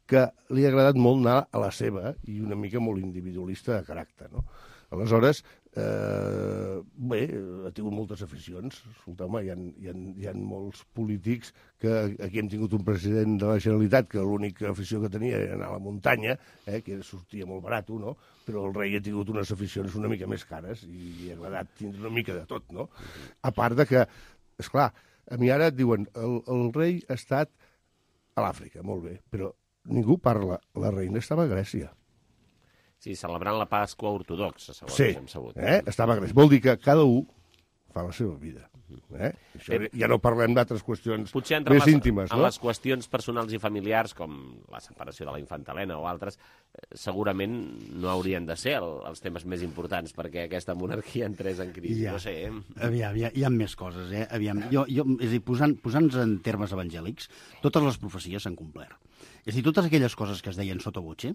que li ha agradat molt anar a la seva i una mica molt individualista de caràcter, no? Aleshores, eh, bé, ha tingut moltes aficions. Escolteu-me, hi ha, hi, ha, hi ha molts polítics que aquí hem tingut un president de la Generalitat que l'única afició que tenia era anar a la muntanya, eh, que sortia molt barat, no? Però el rei ha tingut unes aficions una mica més cares i li ha agradat tindre una mica de tot, no? A part de que, esclar, a mi ara et diuen el, el rei ha estat a l'Àfrica, molt bé, però ningú parla. La reina estava a Grècia. Sí, celebrant la Pasqua ortodoxa, segons sí, hem sabut. Eh? Estava a Grècia. Vol dir que cada un fa la seva vida. Eh? Això, ja no parlem d'altres qüestions Potser entre més les, íntimes, en no? les qüestions personals i familiars, com la separació de la infanta Helena o altres, segurament no haurien de ser el, els temes més importants perquè aquesta monarquia entrés en crisi. Ja. No sé. Eh? Aviam, hi ha, hi ha més coses, eh? Aviam, jo, jo, és a dir, posant, posant-nos en termes evangèlics, totes les profecies s'han complert. És a dir, totes aquelles coses que es deien sota voce,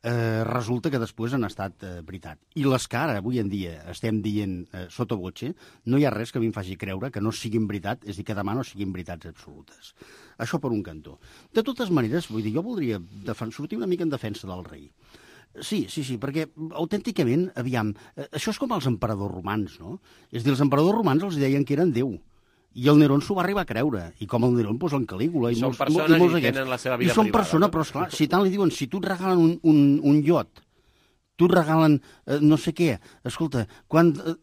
eh, resulta que després han estat eh, veritat. I les que ara, avui en dia, estem dient eh, sota voce, no hi ha res que a mi em faci creure que no siguin veritat, és a dir, que demà no siguin veritats absolutes. Això per un cantó. De totes maneres, vull dir, jo voldria defen- sortir una mica en defensa del rei. Sí, sí, sí, perquè autènticament, aviam, eh, això és com els emperadors romans, no? És a dir, els emperadors romans els deien que eren Déu. I el Nerón s'ho va arribar a creure. I com el Nerón, doncs, en Calígula. I, I són molts, persones i, molts i tenen la seva vida I són privada. persones, No? però esclar, si tant li diuen, si tu et regalen un, un, un iot, tu et regalen eh, no sé què, escolta, quan, eh,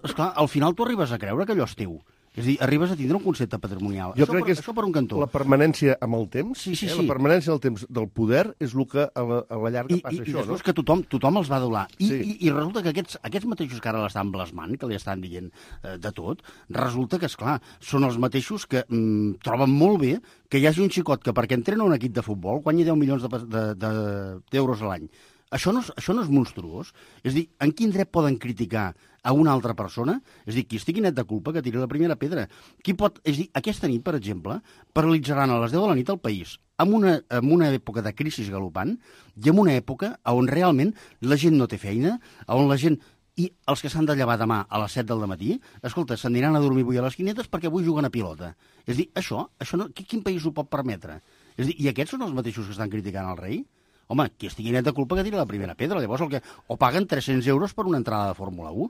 esclar, al final tu arribes a creure que allò és teu. És a dir, arribes a tindre un concepte patrimonial. Jo això crec per, que és això per un cantó. la permanència amb el temps, Sí, sí, eh? sí. la permanència del temps del poder és el que a la, a la llarga I, passa i, això, i després no? que tothom, tothom els va adolar. I, Sí. i, i resulta que aquests, aquests mateixos que ara l'estan blasmant, que li estan dient eh, de tot, resulta que, esclar, són els mateixos que mm, troben molt bé que hi hagi un xicot que perquè entrena un equip de futbol guanyi deu milions d'euros de, de, de, d'euros a l'any. Això no, és, això no és monstruós? És a dir, en quin dret poden criticar a una altra persona? És a dir, qui estigui net de culpa que tiri la primera pedra. Qui pot... És a dir, aquesta nit, per exemple, paralitzaran a les deu de la nit el país, en una, en una època de crisi galopant i en una època on realment la gent no té feina, on la gent... I els que s'han de llevar demà a les set del matí, escolta, s'aniran a dormir avui a les quinetes perquè avui juguen a pilota. És a dir, això, això no, quin país ho pot permetre? És a dir, i aquests són els mateixos que estan criticant el rei? Home, qui estigui net de culpa que tiri la primera pedra. Llavors, el que... o paguen tres-cents euros per una entrada de Fórmula u.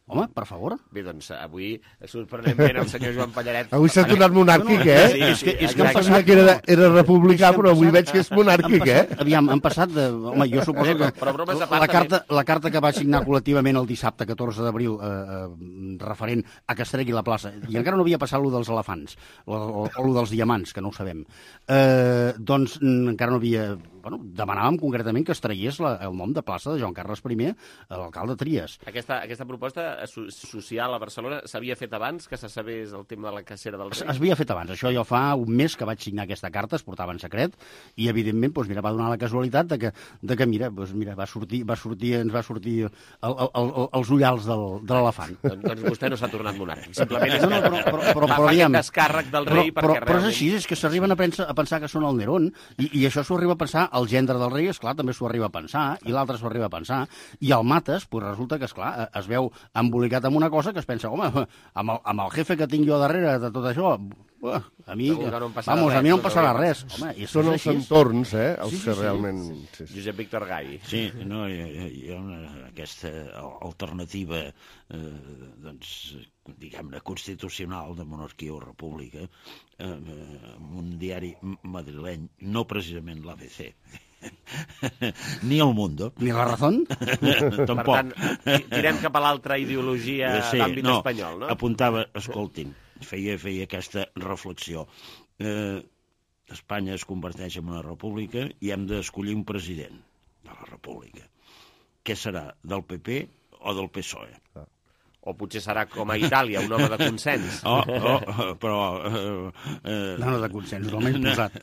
Home, per favor. Bé, doncs avui, sorprenentment, el senyor Joan Pallaret... Avui s'ha tornat monàrquic, eh? Sí, és que, és que han Pensava passat... que era, era republicà, és que però avui passat- veig que és monàrquic, han passat, eh? Aviam, han passat de... Home, jo suposo que Però bromes a part, la carta, la carta que va signar col·lectivament el dissabte catorze d'abril eh, eh, referent a que es tregui la plaça, i encara no havia passat lo dels elefants, o, o, o lo dels diamants, que no ho sabem, eh, doncs mm, encara no havia... Bueno, demanàvem concretament que es tragués la, el nom de plaça de Joan Carles I, l'alcalde Trias. Aquesta, aquesta proposta so- social a Barcelona s'havia fet abans que se sabés el tema de la cacera del Es, rei? es havia fet abans. Això jo fa un mes que vaig signar aquesta carta, es portava en secret, i evidentment doncs, mira, va donar la casualitat de que, de que mira, doncs, mira, va sortir, va sortir, ens va sortir el, el, el, els ullals del, de l'elefant. Doncs, doncs vostè no s'ha tornat monàrquic. Simplement és No, no, però, però, però, fa però, aquest aviam, descàrrec del però, rei però, perquè però és realment... així, és que s'arriben a, pensar, a pensar que són el Nerón, i, i això s'ho arriba a pensar el gendre del rei, esclar, també s'ho arriba a pensar, i l'altre s'ho arriba a pensar, i el Mates, pues, resulta que, esclar, es veu embolicat amb una cosa que es pensa, home, amb el, amb el jefe que tinc jo darrere de tot això, uh, a mi, Segur que no em passarà vamos, res, a mi no em no passarà t'ho res. dic. Home, i Són és els així. entorns, eh, els Sí, sí, que sí. realment... Sí, sí. Josep Víctor Gai. Sí, no, hi, hi- hi ha una, aquesta alternativa, eh, doncs, diguem-ne, constitucional de monarquia o república, eh, amb un diari madrileny, no precisament l'A B C, ni El Mundo. Ni La Razón? Tampoc. Per tant, ti- tirem cap a l'altra ideologia Eh, sí, d'àmbit no, espanyol, no? Apuntava, escoltin, feia, feia aquesta reflexió. Eh, Espanya es converteix en una república i hem d'escollir un president de la república. Què serà, del P P o del P S O E? O potser serà com a Itàlia, un home de consens. Oh, oh, però... Eh, eh, No, no, de consens, totalment posat.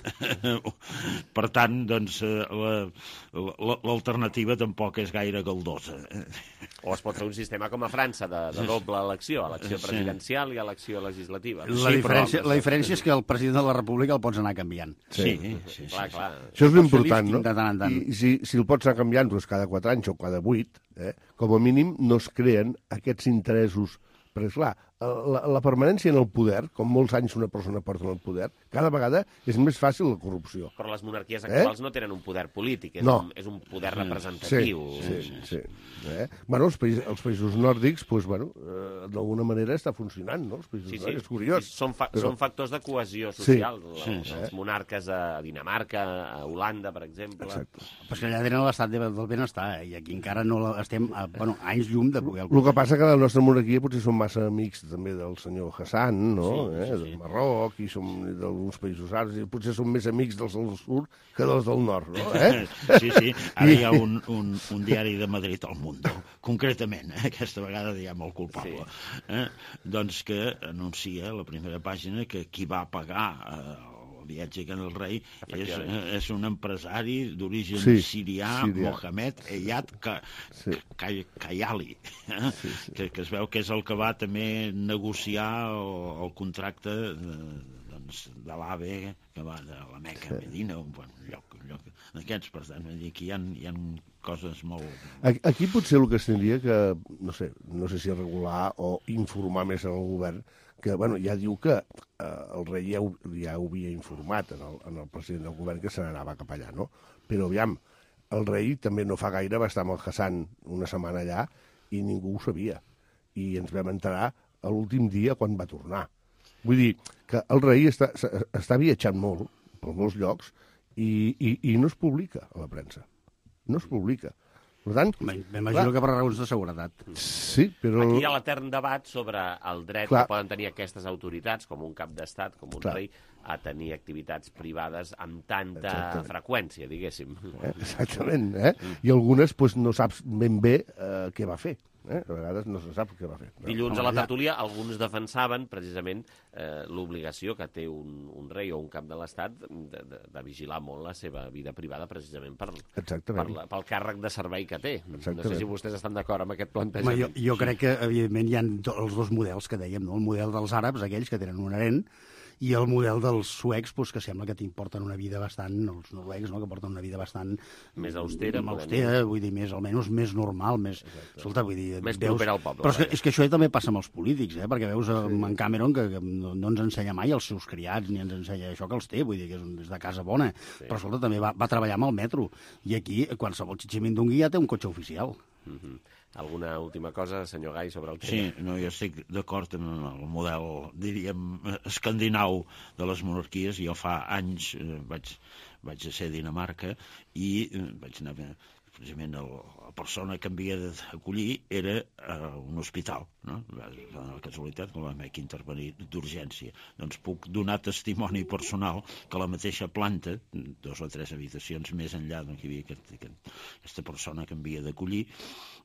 Per tant, doncs, eh, la- la- l'alternativa tampoc és gaire galdosa. O es pot fer un sistema com a França, de, de doble elecció, elecció Sí. presidencial i elecció legislativa. La, Sí, diferència, però- la diferència és que el president de la república el pots anar canviant. Sí, sí, sí. Clar, clar. Això és Pots fer l'important, no? lifting de tant en tant. I si, si el pots anar canviant doncs, cada quatre anys o cada vuit, eh, com a mínim no es creen aquests interessos. Perquè, esclar, la, la permanència en el poder, com molts anys una persona porta en el poder, cada vegada és més fàcil la corrupció. Però les monarquies Eh? actuals no tenen un poder polític, és, No. un, és un poder Sí, representatiu. sí, sí. Eh? Bueno, els, països, els països nòrdics, pues, bueno, eh, d'alguna manera està funcionant, no? Els països Sí, sí. nòrdics, és curiós. Sí, són, fa Però- són factors de cohesió Sí. social. Sí, Els, sí. els monarques a Dinamarca, a Holanda, per exemple. Exacte. Però és que allà tenen l'estat de- del benestar, eh? I aquí encara no la- estem a bueno, anys llum de poder... El que passa que la nostra monarquia potser som massa amics també del senyor Hassan, no? Sí, eh? sí, sí. Del Marroc i som del d'alguns països àrabs, i potser són més amics dels del sud que dels del nord, no? Eh? Sí, sí, ara hi ha un, un, un diari de Madrid, El Mundo, concretament, eh? Aquesta vegada diguem el culpable, sí. eh? doncs que anuncia a la primera pàgina que qui va pagar eh, viatge que en el rei és, és un empresari d'origen sí, sirià, sirià, Mohamed Eyad Kayali, eh? sí, sí. que, que es veu que és el que va també negociar el, el contracte de, doncs, de l'AVE que va de la Meca a Medina, un bon lloc, un lloc d'aquests, per tant, aquí hi ha, hi ha coses molt... Aquí potser el que es tindria que, no sé, no sé si regular o informar més en el govern, que bueno, ja diu que eh, el rei ja ho, ja ho havia informat en el, en el president del govern que se n'anava cap allà, no? Però aviam, el rei també no fa gaire va estar amb el Hassan una setmana allà i ningú ho sabia. I ens vam enterar l'últim dia quan va tornar. Vull dir que el rei està, està viatjant molt per molts llocs i, i, i no es publica a la premsa. No es publica. Per tant, m'imagino que per raons de seguretat. Sí, però... Aquí hi ha l'etern debat sobre el dret clar. que poden tenir aquestes autoritats, com un cap d'estat, com un clar. rei, a tenir activitats privades amb tanta Exactament. freqüència, diguéssim. Eh? Exactament, eh? I algunes pues, no saps ben bé eh, què va fer. Eh? A vegades no se sap què va fer. Dilluns a la tertúlia alguns defensaven precisament eh, l'obligació que té un, un rei o un cap de l'Estat de, de, de vigilar molt la seva vida privada precisament per, per la, pel càrrec de servei que té. Exactament. No sé si vostès estan d'acord amb aquest plantejament. Home, jo, jo crec que, evidentment, hi ha els dos models que dèiem, no? El model dels àrabs, aquells que tenen un harem, i el model dels suecs, doncs, que sembla que t'importen una vida bastant, els noruecs, no?, que porten una vida bastant... Més austera. Més austera, vull dir, més, almenys més normal, més... Escolta, vull dir... Més proper al poble. Però és que, és que això també passa amb els polítics, eh? Perquè veus sí. en Cameron que, que no, no ens ensenya mai els seus criats, ni ens ensenya això que els té, vull dir, que és, un, és de casa bona. Sí. Però, escolta, també va, va treballar amb el metro. I aquí, qualsevol xitximindungui ja té un cotxe oficial. Mm-hmm. Alguna última cosa, senyor Gai, sobre el tema? Sí, no, jo estic d'acord amb el model, diríem, escandinau de les monarquies. Jo fa anys eh, vaig, vaig a ser a Dinamarca i eh, vaig anar... precisament el, la persona que em havia d'acollir era uh, un hospital, no? La casualitat que vam haver que intervenir d'urgència. Doncs puc donar testimoni personal que la mateixa planta, dos o tres habitacions més enllà d'on hi havia aquest, aquest, aquesta persona que em havia d'acollir,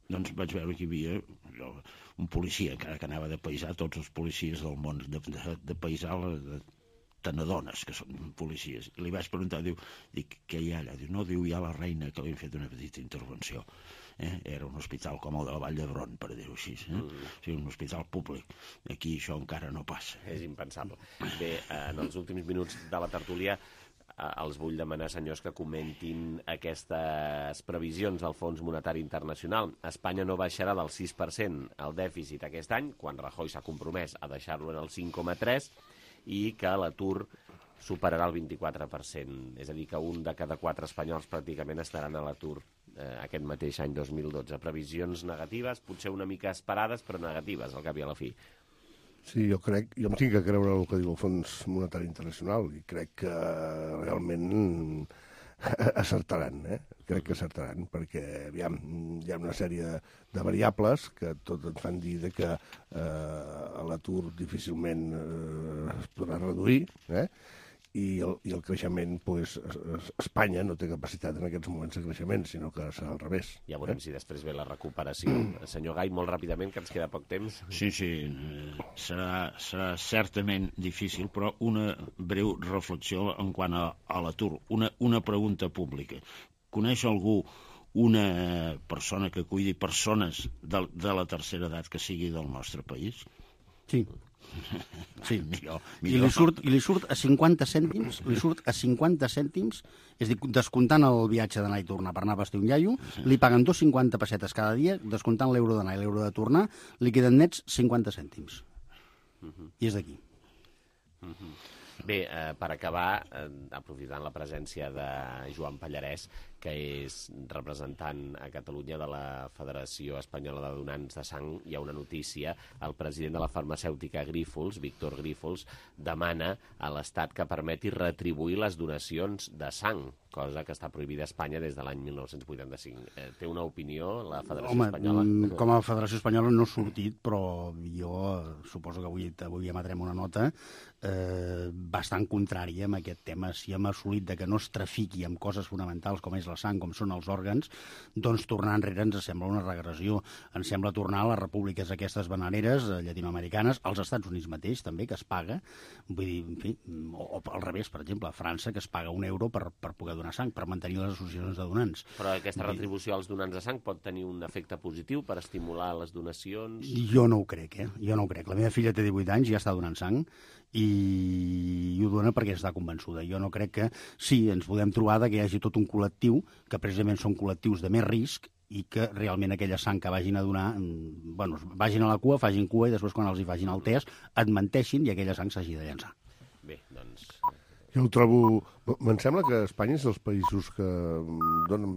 doncs vaig veure que hi havia jo, un policia, que, que anava de paisà, tots els policies del món de, de, de paisà, de, te n'adones que són policies. I li vaig preguntar, diu, dic, què hi ha allà? Diu, no, diu, hi ha la reina que li han fet una petita intervenció. Eh? Era un hospital com el de la Vall d'Hebron, per dir-ho així. Eh? Mm. O sigui, un hospital públic. Aquí això encara no passa. És impensable. Bé, en els últims minuts de la tertúlia els vull demanar, senyors, que comentin aquestes previsions del Fons Monetari Internacional. Espanya no baixarà del sis per cent el dèficit aquest any, quan Rajoy s'ha compromès a deixar-lo en el cinc coma tres, i que l'atur superarà el vint-i-quatre per cent. És a dir, que un de cada quatre espanyols pràcticament estaran a l'atur eh, aquest mateix any dos mil dotze. Previsions negatives, potser una mica esperades, però negatives, al cap i a la fi. Sí, jo crec, jo em tinc que creure el que diu el Fons Monetari Internacional i crec que realment acertaran, eh? Crec que acertaran, perquè aviam, hi ha una sèrie de, de variables que tot ens fan dir de que eh, l'atur difícilment eh, es podrà reduir, eh? I el, i el creixement, pues, Espanya no té capacitat en aquests moments de creixement, sinó que serà al revés. Ja veurem eh? si després ve la recuperació. Senyor Gai, molt ràpidament, que ens queda poc temps. Sí, sí, serà, serà certament difícil, però una breu reflexió en quant a, a l'atur. Una, una pregunta pública. Coneix algú una persona que cuidi persones de, de la tercera edat que sigui del nostre país? Sí. Sí, millor, millor. I, li surt, I li surt a cinquanta cèntims, li surt a cinquanta cèntims, és a dir, descomptant el viatge d'anar i tornar per anar a vestir un iaio, sí. Li paguen dos coma cinquanta pessetes cada dia, descomptant l'euro d'anar i l'euro de tornar, li queden nets cinquanta cèntims. Uh-huh. I és d'aquí. Uh-huh. Bé, eh, per acabar, eh, aprofitant la presència de Joan Pallarès, que és representant a Catalunya de la Federació Espanyola de Donants de Sang. Hi ha una notícia: el president de la farmacèutica Grífols, Víctor Grífols, demana a l'Estat que permeti retribuir les donacions de sang, cosa que està prohibida a Espanya des de l'any mil nou-cents vuitanta-cinc. Eh, té una opinió la Federació Home, Espanyola? com a Federació Espanyola no ha sortit, però jo suposo que avui, avui emetrem una nota eh, bastant contrària amb aquest tema. Si hem assolit de que no es trafiqui amb coses fonamentals com és la sang, com són els òrgans, doncs tornar enrere ens sembla una regressió. Ens sembla tornar a les repúbliques aquestes bananeres llatinoamericanes, als Estats Units mateix també, que es paga, vull dir, en fi, o, o al revés, per exemple, a França, que es paga un euro per, per poder donar sang, per mantenir les associacions de donants. Però aquesta retribució als donants de sang pot tenir un efecte positiu per estimular les donacions? Jo no ho crec, eh? Jo no ho crec. La meva filla té divuit anys i ja està donant sang i, i ho dona perquè està convençuda. Jo no crec que... Sí, ens podem trobar que hi hagi tot un col·lectiu, que precisament són col·lectius de més risc, i que realment aquella sang que vagin a donar, bueno, vagin a la cua, facin cua, i després quan els hi facin el test et menteixin i aquella sang s'hagi de llançar. Bé, doncs... Jo ho trobo... Me'n sembla que Espanya és dels països que donen